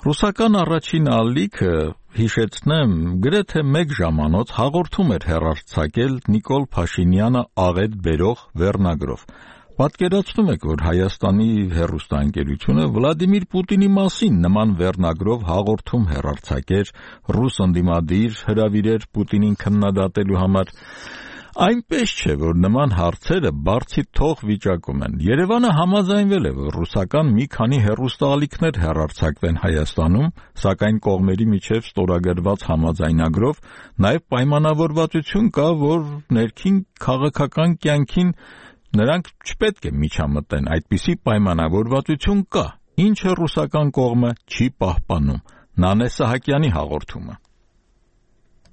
Speaker 1: Ռուսական առաջին ալիքը, հիշեցնեմ, գրեթե մեկ ժամանոց հաղորդում էր հեռարձակել Նիկոլ Փաշինյանը աղետ բերող վերնագրով։ Պատկերացնում եք, որ Հայաստանի հեռուստաընկերությունը Վլադիմիր Պուտինի մասին նման վերնագրով հաղորդում հեռարձակեր, ռուս ընդդիմադիր հրավիրեր Պուտինին քննադատելու համար։ Այնպես չէ, որ նման հարցերը բարձի թող վիճակում են։ Երևանը համաձայնվել է, որ ռուսական մի քանի հեռուստաալիքներ հեռարձակվեն Հայաստանում, սակայն կողմերի միջև ստորագրված համաձայնագրով նաև պայմանավորվածություն կա, որ ներքին քաղաքական կյանքին նրանք չպետք է միջամտեն, այդպիսի պայմանավորվածություն կա, ինչը ռուսական կողմը չի պահպանում։ Նանե Սահակյանի հաղորդումը։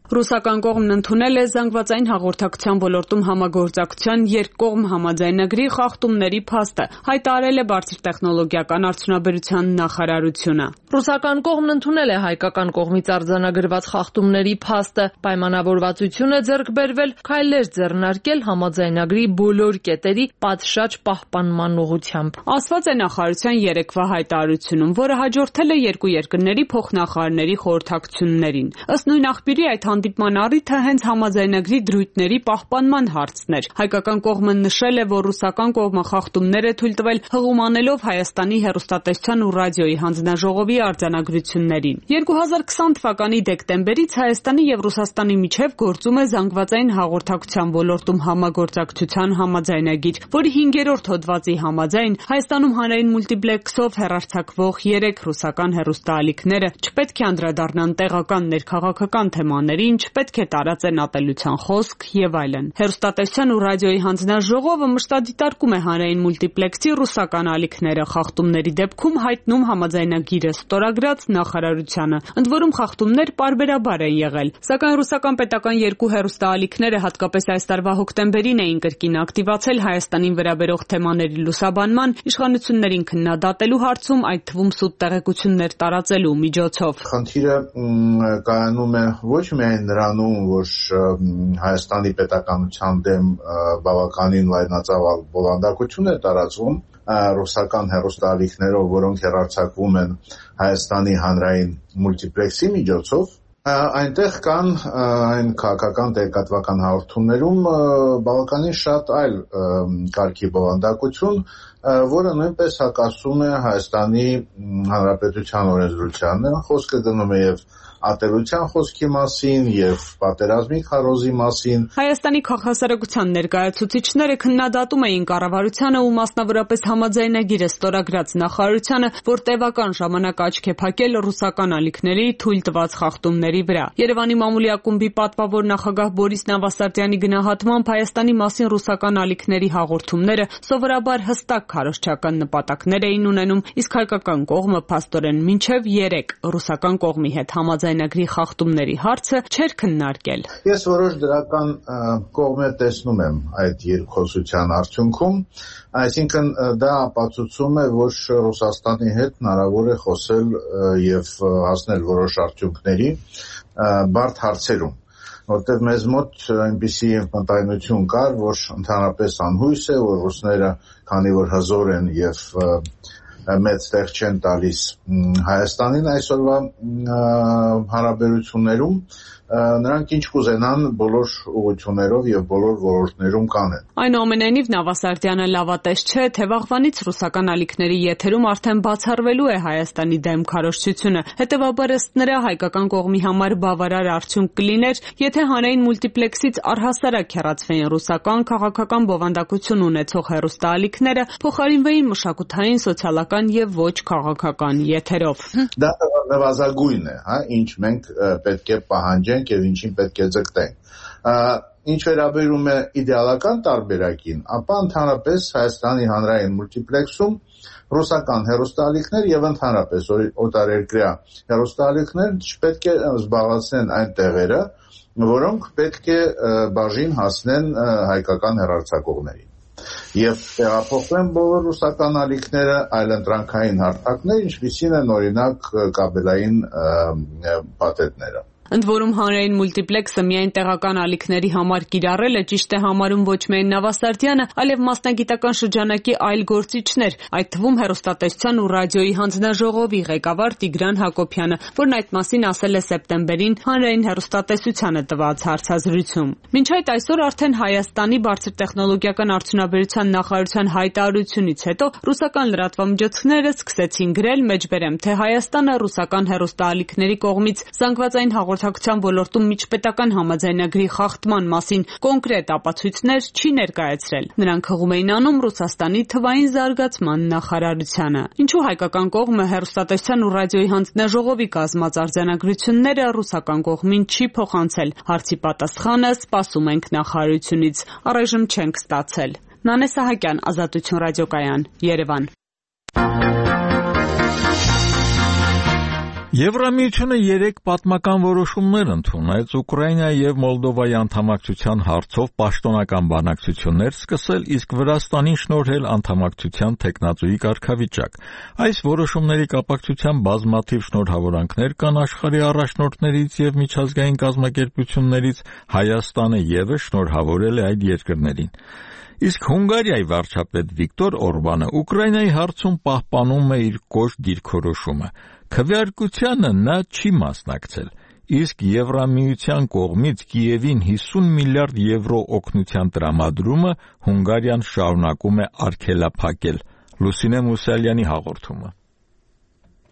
Speaker 4: Ռուսական կողմն ընդունել է զանգվածային հաղորդակցության ոլորտում համագործակցության երկկողմ համաձայնագրի խախտումների փաստը, հայտարարել է բարձր տեխնոլոգիական արդյունաբերության նախարարությունը։
Speaker 20: Ռուսական կողմն ընդունել է հայկական կողմից արձանագրված խախտումների փաստը, պայմանավորվածություն է ձեռք բերվել քայլեր ձեռնարկել համաձայնագրի բոլոր կետերի պատշաճ պահպանման ուղղությամբ։
Speaker 4: Ասված է նախարարության երեկվա հայտարարությունում, որը հաջորդել է երկու երկրների փոխնախարարների խորհրդակցություններին։ Ըստ նույն աղբյուրի այդ հանդիպման առիթը հենց համաձայնագրի դրույթների պահպանման հարցն էր։ Հայկական կողմը նշել է, որ ռուսական կողմը խախտումներ է թույլ տվել հղում անելով Հայաստանի հեռուստատեսության ու ռադիոյի հանձնաժողովի արձանագրություններին։ երկու հազար քսան թվականի դեկտեմբերից Հայաստանի եւ Ռուսաստանի միջև գործում է զանգվածային հաղորդակցության ոլորտում համագործակցության համաձայնագիր, որի հինգերորդ հոդվածի համաձայն Հայաստանում հանրային մուլտիպլեքսով հեռարձակվող երեք ռուսական հեռուստաալիքները չպետք է անդրադառնան տեղական ներքաղաքական թեմաների, չպետք է տարածեն ատելության խոսք եւ այլն։ Հեռուստատեսության ու ռադիոյի հանձնաժողովը մշտադիտարկում է հանրային մուլտիպլեքսի ռուսական ալիքները, խախտումների դեպքում հայտնում համաձայնագիրը ստորագրած նախարարությանը, ընդ որում խախտումներ պարբերաբար են եղել, սակայն ռուսական պետական երկու հեռուստաալիքները հատկապես այս տարվա հոկտեմբերին էին կրկին ակտիվացել Հայաստանին վերաբերող թեմաների լուսաբանման, իշխանություններին քննադատելու հարցում, այդ թվում սուտ տեղեկություններ տարածելու միջոցով։
Speaker 5: Խնդիրը կայանում է ոչ միայն նրանում, որ Հայաստանի պետականության դեմ բավականին լայնածավալ բովանդակություն է տարածվում ռուսական հեռուստաալիքներով, որոնք հեռարձակվում են Հայաստանի հանրային մուլտիպլեքսի միջոցով, այնտեղ կան այն քաղաքական տեղեկատվական հաղորդումներում բավականին շատ այլ կարգի բովանդակություն, որը նույնպես հակասում է Հայաստանի Հանրապետության օրենսդրությանն, խոսքը գնում է եւ ատելության խոսքի մասին եւ պատերազմի քարոզի մասին։
Speaker 4: Հայաստանի քաղաքասարակության ներկայացուցիչները քննադատում էին կառավարությանը ու մասնավորապես համաձայնագիրը ստորագրած նախարարությանը, որ տևական ժամանակ աչք է փակել ռուսական ալիքների թույլ տված խախտումների վրա։ Երևանի մամուլի ակումբի պատվավոր նախագահ Բորիս Նավասարդյանի գնահատմամբ Հայաստանի մասին ռուսական ալիքների հաղորդումները սովորաբար հստակ քարոզչական նպատակներ էին ունենում, իսկ հայկական կողմը փաստորեն մինչև երեք ռուսական կողմի հետ համաձայնագրի խախտումների հարցը չէր քննարկել։
Speaker 5: Ես որոշ դրական կողմեր տեսնում եմ այդ երկխոսության արդյունքում, այսինքն դա ապացուցում է, որ Ռուսաստանի հետ հնարավոր է խոսել եւ հասնել որոշ արդյունքների բարդ հարցերում, որտեղ մեզ մոտ այնպիսի մտայնություն կար, որ ընդհանրապես անհույս է, որ ռուսները, քանի որ հզոր են եւ մեծ տեղ չեն տալիս Հայաստանին այսօրվա հարաբերություններում, նրանք ինչ կուզենան բոլոր ուղղություններով եւ բոլոր ոլորտներում կանեն։
Speaker 4: Այնուամենայնիվ Նավասարդյանը լավատես չէ, թե վաղվանից ռուսական ալիքների եթերում արդեն բացառվելու է Հայաստանի դեմ քարոզչությունը, հետեւաբար ըստ նրա հայկական կողմի համար բավարար արդյունք կլիներ, եթե հանրային մուլտիպլեքսից առհասարակ հեռացվեին ռուսական քաղաքական բովանդակություն ունեցող հեռուստաալիքները, փոխարինվեին մշակութային, սոցիալական եւ ոչ քաղաքական եթերով։
Speaker 5: Դա նվազագույն է, հա, ինչ մենք պետք է պահանջենք եւ ինչին պետք է ձգտենք։ Ինչ վերաբերում է իդեալական տարբերակին, ապա ընդհանրապես Հայաստանի հանրային մուլտիպլեքսում ռուսական հեռուստաալիքներ եւ ընդհանրապես օտարերկրյա հեռուստաալիքներ չպետք է զբաղեցնեն այն տեղերը, որոնք պետք է բաժին հասնեն հայկական հեռարձակողներին։ եւ տեղափոխվեն բոլոր ռուսական ալիքները այլընտրանքային հարթակներ, ինչպիսին են օրինակ կաբելային փաթեթները։
Speaker 4: Ընդ որում հանրային մուլտիպլեքսը միայն տեղական ալիքների համար կիրառել է ճիշտ է համարում ոչ միայն Նավասարդյանը, այլև մասնագիտական շրջանակի այլ գործիչներ, այդ թվում հեռուստատեսության ու ռադիոյի հանձնաժողովի ղեկավար Տիգրան Հակոբյանը, որն այդ մասին ասել է սեպտեմբերին հանրային հեռուստատեսությանը տված հարցազրույցում։ Մինչ այդ այսօր արդեն Հայաստանի բարձր տեխնոլոգիական արդյունաբերության նախարարության հայտարարությունից հետո ռուսական լրատվամիջոցները սկսեցին գրել, մեջբերեմ, թե Հայաստանը ռուսական հեռուստաալիքների կողմից զանգվածային հաղորդակցության ոլորտում միջպետական համաձայնագրի խախտման մասին կոնկրետ ապացույցներ չի ներկայացրել։ Նրանք հղում էին անում Ռուսաստանի թվային զարգացման նախարարությանը։ Ինչու հայկական կողմը հեռուստատեսության ու ռադիոյի հանձնաժողովի կազմած արձանագրությունները ռուսական կողմին չի փոխանցել։ Հարցի պատասխանը սպասում ենք նախարարությունից։ Առայժմ չենք ստացել։ Նանե Սահակյան, Ազատություն ռադիոկայան, Երևան։
Speaker 1: Եվրամիությունը երեք պատմական որոշումներ ընդունեց Ուկրաինայի եւ Մոլդովայի անդամակցության հարցով պաշտոնական բանակցություններ սկսել, իսկ Վրաստանին շնորհել անդամակցության թեկնածուի կարգավիճակ։ Այս որոշումների կապակցությամբ բազմաթիվ շնորհավորանքներ կան աշխարհի առաջնորդներից եւ միջազգային կազմակերպություններից, Հայաստանը եւս շնորհավորել է այդ երկրներին։ Իսկ Հունգարիայի վարչապետ Վիկտոր Օրբանը Ուկրաինայի հարցում պահպանում է իր կոշտ դիրքորոշումը։ Քվեարկությանը նա չի մասնակցել, իսկ Եվրամիության կողմից Կիևին հիսուն միլիարդ եվրո օգնության տրամադրումը Հունգարիան շարունակում է արգելափակել։ Լուսինե Մուսալյանի հաղորդումը։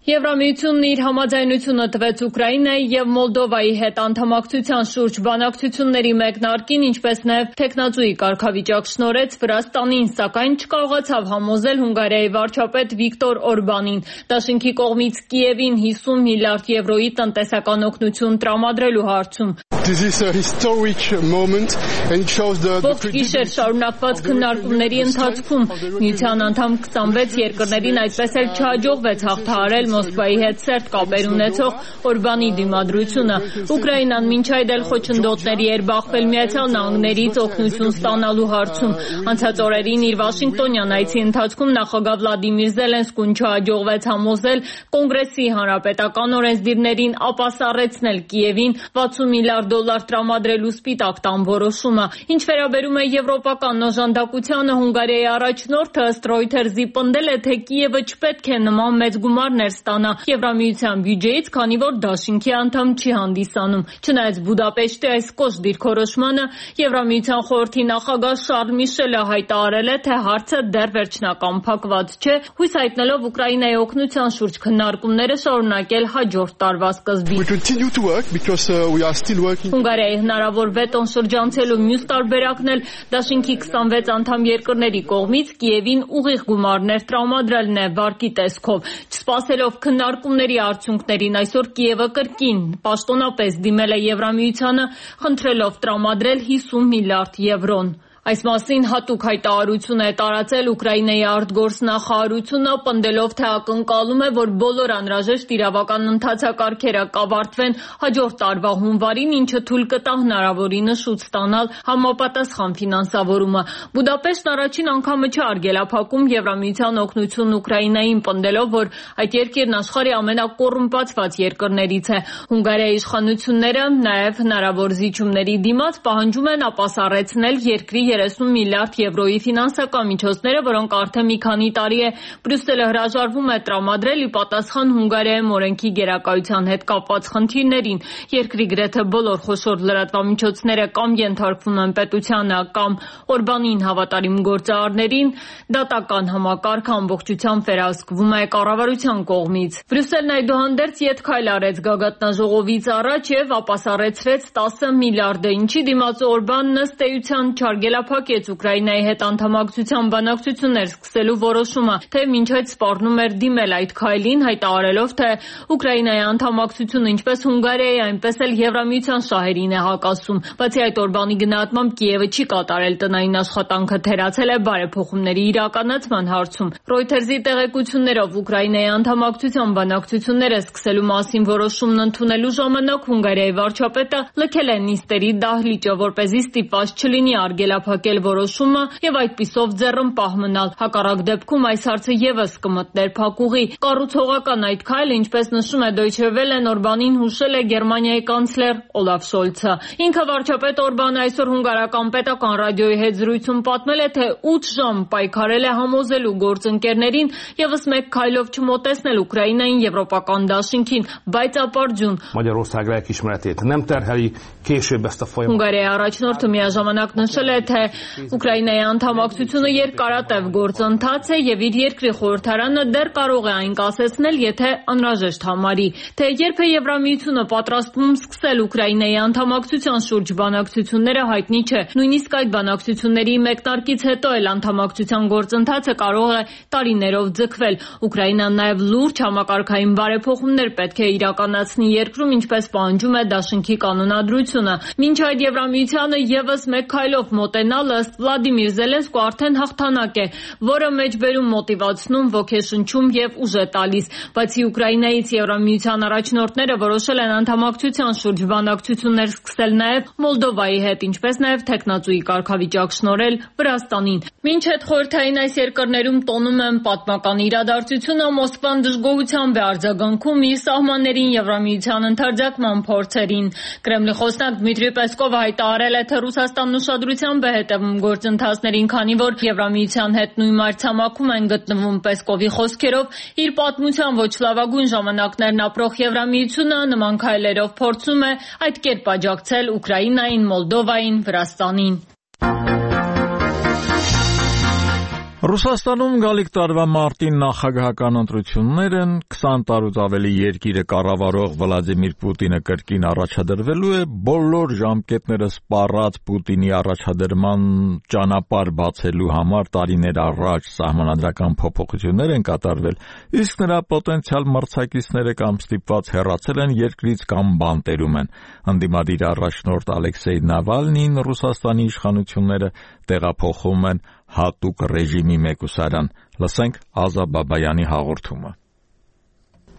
Speaker 20: Եվրամիությունն իր համաձայնությունը տվեց Ուկրաինայի եւ Մոլդովայի հետ անդամակցության շուրջ բանակցությունների մեկնարկին, ինչպես նաեւ թեկնածուի կարգավիճակ շնորհեց Վրաստանին, սակայն չկարողացավ համոզել Հունգարիայի վարչապետ Վիկտոր Օրբանին դաշինքի կողմից Կիևին հիսուն միլիարդ եվրոյի տնտեսական օգնություն տրամադրելու հարցում։ Ողջ գիշեր շարունակված քննարկումների ընթացքում միության անդամ քսանվեց երկրներին այդպես էլ չհաջողվեց հաղթահարել Մոսկվայի հետ սերտ կապեր ունեցող Օրբանի դիմադրությունը։ Ուկրաինան մինչ այդ էլ խոչընդոտների էր բախվել Միացյալ Նահանգներից օգնություն ստանալու հարցում։ Անցած օրերին իր Վաշինգտոնյան այցի ընթացքում նախագահ Վլադիմիր Զելենսկուն չհաջողվեց համոզել Կոնգրեսի հանրապետական օրենսդիրներին ապասառեցնել Կիևին վաթսուն միլիարդ դոլար տրամադրելու սպիտակ տան որոշումը։ Ինչ վերաբերում է եվրոպական օժանդակությանը, Հունգարիայի առաջնորդը ըստ Reuters-ի պնդել է, թե Կիևը չպետք է նման մեծ գումարներ ստանա Եվրամիության բյուջեից, քանի որ դաշինքի անդամ չի հանդիսանում։ Չնայած Բուդապեշտի այս կոշտ դիրքորոշմանը, Եվրամիության խորհրդի նախագահ Շարլ Միշելը հայտարարել է, թե հարցը դեռ վերջնական փակված չէ, հույս հայտնելով Ուկրաինայի օգնության շուրջ քննարկումները շարունակել հաջորդ տարվա սկզբից։ Հունգարիայի հնարավոր վետոն շրջանցելու մյուս տարբերակն էլ դաշինքի քսանվեց անդամ երկրների կողմից Կիևին ուղիղ գումարներ տրամադրելն է վարկի տեսքով։ Չսպասելով քննարկումների արդյունքներին, այսօր Կիևը կրկին պաշտոնապես դիմել է Եվրամիությանը, խնդրելով տրամադրել հիսուն միլիարդ եվրոն։ Այս մասին հատուկ հայտարարություն է տարածել Ուկրաինայի արտգործնախարարությունը, պնդելով, թե ակնկալում է, որ բոլոր անհրաժեշտ իրավական ընթացակարգերը կավարտվեն հաջորդ տարվա հունվարին, ինչը թույլ կտա հնարավորինս շուտ ստանալ համապատասխան ֆինանսավորումը։ Բուդապեշտն առաջին անգամը չի արգելափակում Եվրամիության օգնությունն Ուկրաինային, պնդելով, որ այդ երկիրն աշխարհի ամենակոռումպացված երկրներից է։ Հունգարիայի իշխանությունները նաև հնարավոր զիջումների դիմաց պահանջում են ապասառեցնել երկրի երեսուն միլիարդ եվրոյի ֆինանսական միջոցները, որոնք արդեն մի քանի տարի է Բրյուսելը հրաժարվում է տրամադրել ի պատասխան Հունգարիայում օրենքի գերակայության հետ կապված խնդիրներին։ Երկրի գրեթե բոլոր խոշոր լրատվամիջոցները կամ ենթարկվում են պետությանը, կամ Օրբանին հավատարիմ գործարարներին, դատական համակարգը ամբողջությամբ վերահսկվում է կառավարության կողմից։ Բրյուսելն այդուհանդերձ ետքայլ արեց գագաթնաժողովից առաջ եւ ապասառեցրեց տասը միլիարդը, ինչի դիմաց Օրբանն ըստ էության չարգելափակեց Ուկրաինայի հետ անդամակցության բանակցություններ սկսելու որոշումը, թե մինչ այդ սպառնում էր դիմել այդ քայլին, հայտարարելով, թե Ուկրաինայի անդամակցությունը ինչպես Հունգարիայի, այնպես էլ Եվրամիության շահերին է հակասում։ Բացի այդ, Օրբանի գնահատմամբ Կիևը չի կատարել տնային աշխատանքը, թերացել է բարեփոխումների իրականացման հարցում։ Reuters-ի տեղեկություններով Ուկրաինայի անդամակցության բանակցությունները սկսելու մասին որոշումն ընդունելու ժամանակ Հունգարիայի վարչապետը լքել է նիստերի դահլիճը, որպեսզի ստիպված չլինի արգելափակել շահարկել որոշումը եւ այդպիսով ձեռնպահ մնալ։ Հակառակ դեպքում այս հարցը եւս կմտներ փակուղի։ Կառուցողական այդ քայլը, ինչպես նշում է Deutsche Welle-ն, Օրբանին հուշել է Գերմանիայի կանցլեր Օլաֆ Շոլցը։ Ինքը վարչապետ Օրբանը այսօր հունգարական պետական ռադիոյի հետ զրույցում պատմել է, թե ութ ժամ պայքարել է համոզելու գործընկերներին եւս մեկ քայլով չմոտեցնել Ուկրաինային եվրոպական դաշինքին, բայց ապարդյուն։ Հունգարիայի առաջնորդը միաժամանակ նշել է, թե Ուկրաինայի անդամակցությունը երկարատև գործընթաց է եւ իր երկրի խորհրդարանը դեռ կարող է այն կասեցնել, եթե անհրաժեշտ համարի։ Թե երբ է Եվրամիությունը պատրաստվում սկսել Ուկրաինայի անդամակցության շուրջ բանակցությունները, հայտնի չէ։ Նույնիսկ այդ բանակցությունների մեկնարկից հետո էլ անդամակցության գործընթացը կարող է տարիներով ձգվել։ Ուկրաինան նաեւ լուրջ համակարգային բարեփոխումներ պետք է իրականացնի երկրում, ինչպես պահանջում է դաշինքի կանոնադրությունը։ Մինչ այդ Եվրամիությանը եւս մեկ քայլով մոտենալը ըստ Վլադիմիր Զելենսկու արդեն հաղթանակ է, որը մեջբերում, մոտիվացնում, ոգեշնչում եւ ուժ է տալիս։ Բացի Ուկրաինայից Եվրամիության առաջնորդները որոշել են անդամակցության շուրջ բանակցություններ սկսել նաեւ Մոլդովայի հետ, ինչպես նաեւ թեկնածուի կարգավիճակ շնորհել Վրաստանին։ Մինչ այդ խորհրդային այս երկրներում տոնում են պատմական իրադարձությունը, Մոսկվան դժգոհությամբ է արձագանքում իր սահմաններին Եվրամիության ընդարձակման փորձերին։ Կրեմլի խոսնակ Դմիտրի Պեսկովը հայտարարել է, թե Ռուսաստանն ուշադրությամբ է հետևում գործընթացներին, քանի որ Եվրամիության հետ նույն մայրցամաքում են գտնվում։ Պեսկովի խոսքերով, իր պատմության ոչ լավագույն ժամանակներն ապրող Եվրամիությունը նման քայլերով փորձում է այդ կերպ աջակցել Ուկրաինային, Մոլդովային, Վրաստանին։
Speaker 1: Ռուսաստանում գալիք տարվա մարտին նախագահական ընտրություններն քսան տարուց ավելի երկիրը կառավարող Վլադիմիր Պուտինը կրկին առաջադրվելու է բոլոր ժամկետները սպառած Պուտինի առաջադրման ճանապարհ բացելու համար տարիներ առաջ սահմանադրական փոփոխություններ են կատարվել, իսկ նրա պոտենցիալ մրցակիցները կամ ստիպված հեռացել են երկրից կամ բանտերում են։ Ընդդիմադիր առաջնորդ Ալեքսեյ Նավալնին Ռուսաստանի իշխանությունները տեղափոխում են հատուկ ռեժիմի մեկուսարան։ Լսենք Ազա Բաբայանի հաղորդումը։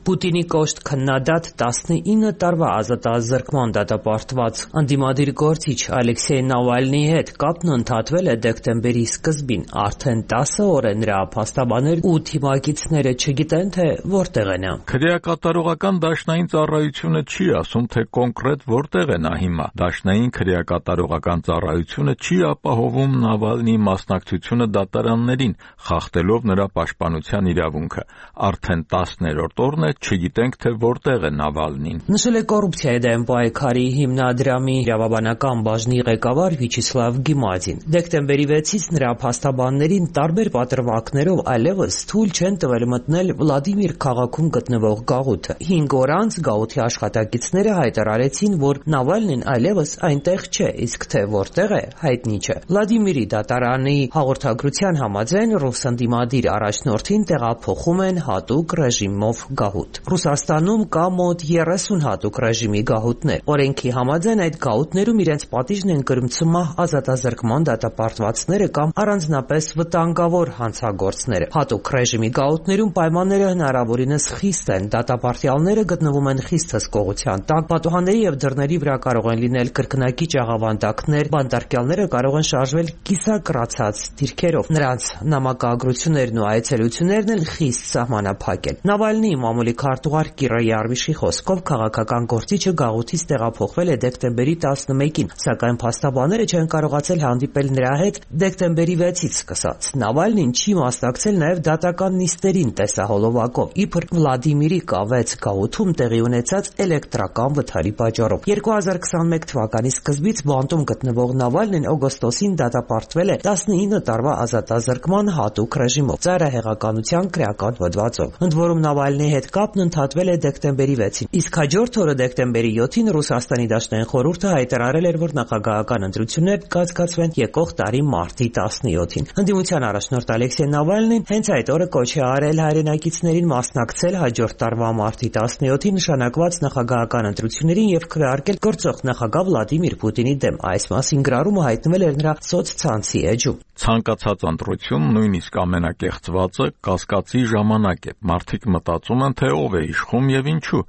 Speaker 6: Պուտինի կոշտ քննադատ տասնինը տարվա ազատազրկման դատապարտված ընդդիմադիր գործիչ Ալեքսեյ Նավալնիի հետ կապն ընդհատվել է դեկտեմբերի սկզբին։ Արդեն տասը օր է նրա փաստաբաներն ու թիմակիցները չգիտեն, թե որտեղ է նա։
Speaker 1: Քրեակատարողական դաշնային ծառայությունը չի ասում, թե կոնկրետ որտեղ է նա հիմա։ Դաշնային քրեակատարողական ծառայությունը չի ապահովում Նավալնիի մասնակցությունը դատարաններին, խախտելով նրա պաշտպանության իրավունքը։ Արդեն տասներորդ օրն է չգիտենք, թե որտեղ է Նավալնին։
Speaker 6: Նշել է կոռուպցիայի դեմ պայքարի հիմնադրամի իրավաբանական բաժնի ղեկավար Վիչեսլավ Գիմադին։ Դեկտեմբերի վեցից նրա փաստաբաններին տարբեր պատրվակներով այլևս թույլ չեն տվել մտնել Վլադիմիր քաղաքում գտնվող գաղութը։ Հինգ օր անց գաղութի աշխատակիցները հայտարարեցին, որ Նավալնին այլևս այնտեղ չէ, իսկ թե որտեղ է, հայտնի չէ։ Վլադիմիրի դատարանի հաղորդագրության համաձայն ռուս ընդդիմադիր առաջնորդին տեղափոխում են հատուկ ռեժիմով գաղութ։ Ռուսաստանում կա մոտ երեսուն հատուկ ռեժիմի գաղութներ։ Օրենքի համաձայն այդ գաղութներում իրենց պատիժն են կրում ցմահ ազատազրկման դատապարտվածները կամ առանձնապես վտանգավոր հանցագործները։ Հատուկ ռեժիմի գաղութներում պայմանները հնարավորինս խիստ են, դատապարտյալները գտնվում են խիստ հսկողության տակ, պատուհանների եւ դռների վրա կարող են լինել կրկնակի աղավանդակներ, բանտարկյալները կարող են շարժվել կիսակրացած դիրքերով։ Նրանց նամակագրություններն ու այցելություններն էլ խիստ սահմանափակ են։ Նավալնիի մամուլի քարտուղար Կիրա Յարվիշի խոսքով քաղաքական գործիչը գաղութից տեղափոխվել է դեկտեմբերի տասնմեկին, սակայն փաստաբանները չեն կարողացել հանդիպել նրա հետ դեկտեմբերի վեցից սկսած։ Նավալնին չի մասնակցել նաև դատական նիստերին տեսահոլովակով, իբր Վլադիմիրի կա վեց գաղութում տեղի ունեցած էլեկտրական վթարի պատճառով։ երկու հազար քսանմեկ թվականի սկզբից բանտում գտնվող Նավալնին օգոստոսին դատապարտվել է տասնինը տարվա ազատազրկման հատուկ ռեժիմով, ծայրահեղականության քրեական հոդվածով։ Ընդ որում Նավալնիի հետ կապն ընդհատվել է դեկտեմբերի վեցին, իսկ հաջորդ օրը դեկտեմբերի յոթին Ռուսաստանի Դաշնային խորհուրդը հայտարարել էր, որ նախագահական ընտրություններ կկայացվեն եկող տարի մարտի տասնյոթին։ Ընդդիմության առաջնորդ Ալեքսեյ Նավալնին հենց այդ օրը կոչ է արել հայրենակիցներին մասնակցել հաջորդ տարվա մարտի տասնյոթին նշանակված նախագահական ընտրություններին եւ քվեարկել գործող նախագահ Վլադիմիր Պուտինի դեմ։ Այս մասին գրառումը հայտնվել էր նրա սոցցանցի էջում։
Speaker 1: Ցանկացած ընտրություն, նույնիսկ ամենակեղծվածը, կասկածի ժամանակ է։ Մարդիկ մտածում են, թե ով է իշխում եւ ինչու։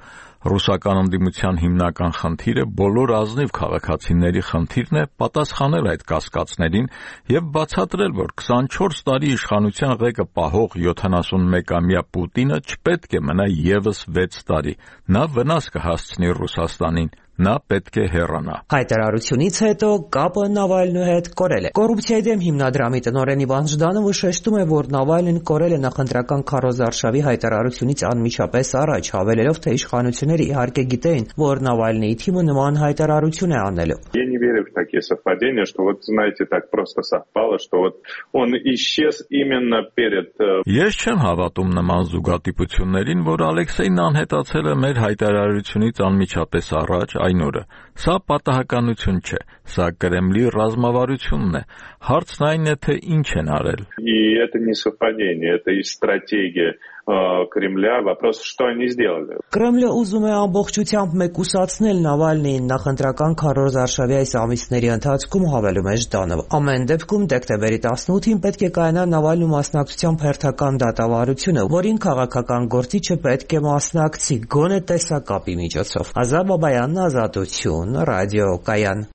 Speaker 1: Ռուսական ընդդիմության հիմնական խնդիրը բոլոր ազնիվ քաղաքացիների խնդիրն է պատասխանել այդ կասկածներին եւ բացատրել, որ քսանչորս տարի իշխանության ղեկը պահող յոթանասունմեկամյա Պուտինը չպետք է մնա եւս վեց տարի։ Նա վնաս կհասցնի Ռուսաստանին։ Նա պետք է հեռանա։
Speaker 6: Հայտարարությունից հետո կապը Նավալնու հետ կորել է։ Կոռուպցիայի դեմ հիմնադրամի տնօրեն Իվան Ժդանովը շեշտում է, որ Նավալնին կորել է նախընտրական քարոզարշավի հայտարարությունից անմիջապես առաջ, հավելելով, թե իշխանությունները իհարկե գիտեին, որ Նավալնիի թիմը նման հայտարարություն է անելու։
Speaker 7: Я не верю в такие совпадения, что вот знаете, так просто совпало, что вот он исчез именно перед.
Speaker 1: Ես չեմ հավատում նման զուգադիպություններին, որ Ալեքսեյն անհետացել է մեր հայտարարությունից անմիջապես առաջ այն օրը։ Սա պատահականություն չէ, սա Կրեմլի ռազմավարությունն է։ Հարցն այն է, թե ինչ են արել։
Speaker 7: И это не совпадение, это и стратегия Կրեմլյա, вопрос, что они сделали։
Speaker 6: Կրեմլը ուզում է ամբողջությամբ մեկուսացնել Նավալնիին նախընտրական քարոզարշավի այս ամիսների ընթացքում, հավելում է Ժդանովը։ Ամեն դեպքում դեկտեմբերի տասնութին պետք է կայանա Նավալնու մասնակցությամբ հերթական դատավարությունը, որին քաղաքական գործիչը պետք է մասնակցի գոնե տեսակապի միջոցով։ Ազատ Բաբայանն, Ազատություն, ռադիո կայան։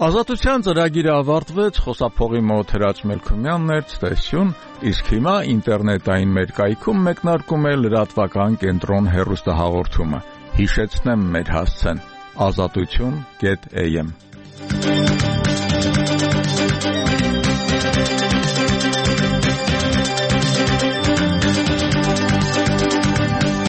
Speaker 1: Ազատության ծրագիրը ավարտվեց, խոսափողի մոտ Հրաչ Մելքումյանն էր, ցտեսություն, իսկ հիմա ինտերնետային մեր կայքում մեկնարկում է լրատվական կենտրոն հեռուստահաղորդումը։ Հիշեցնեմ մեր հասցեն՝ ազատություն կետ էյ էմ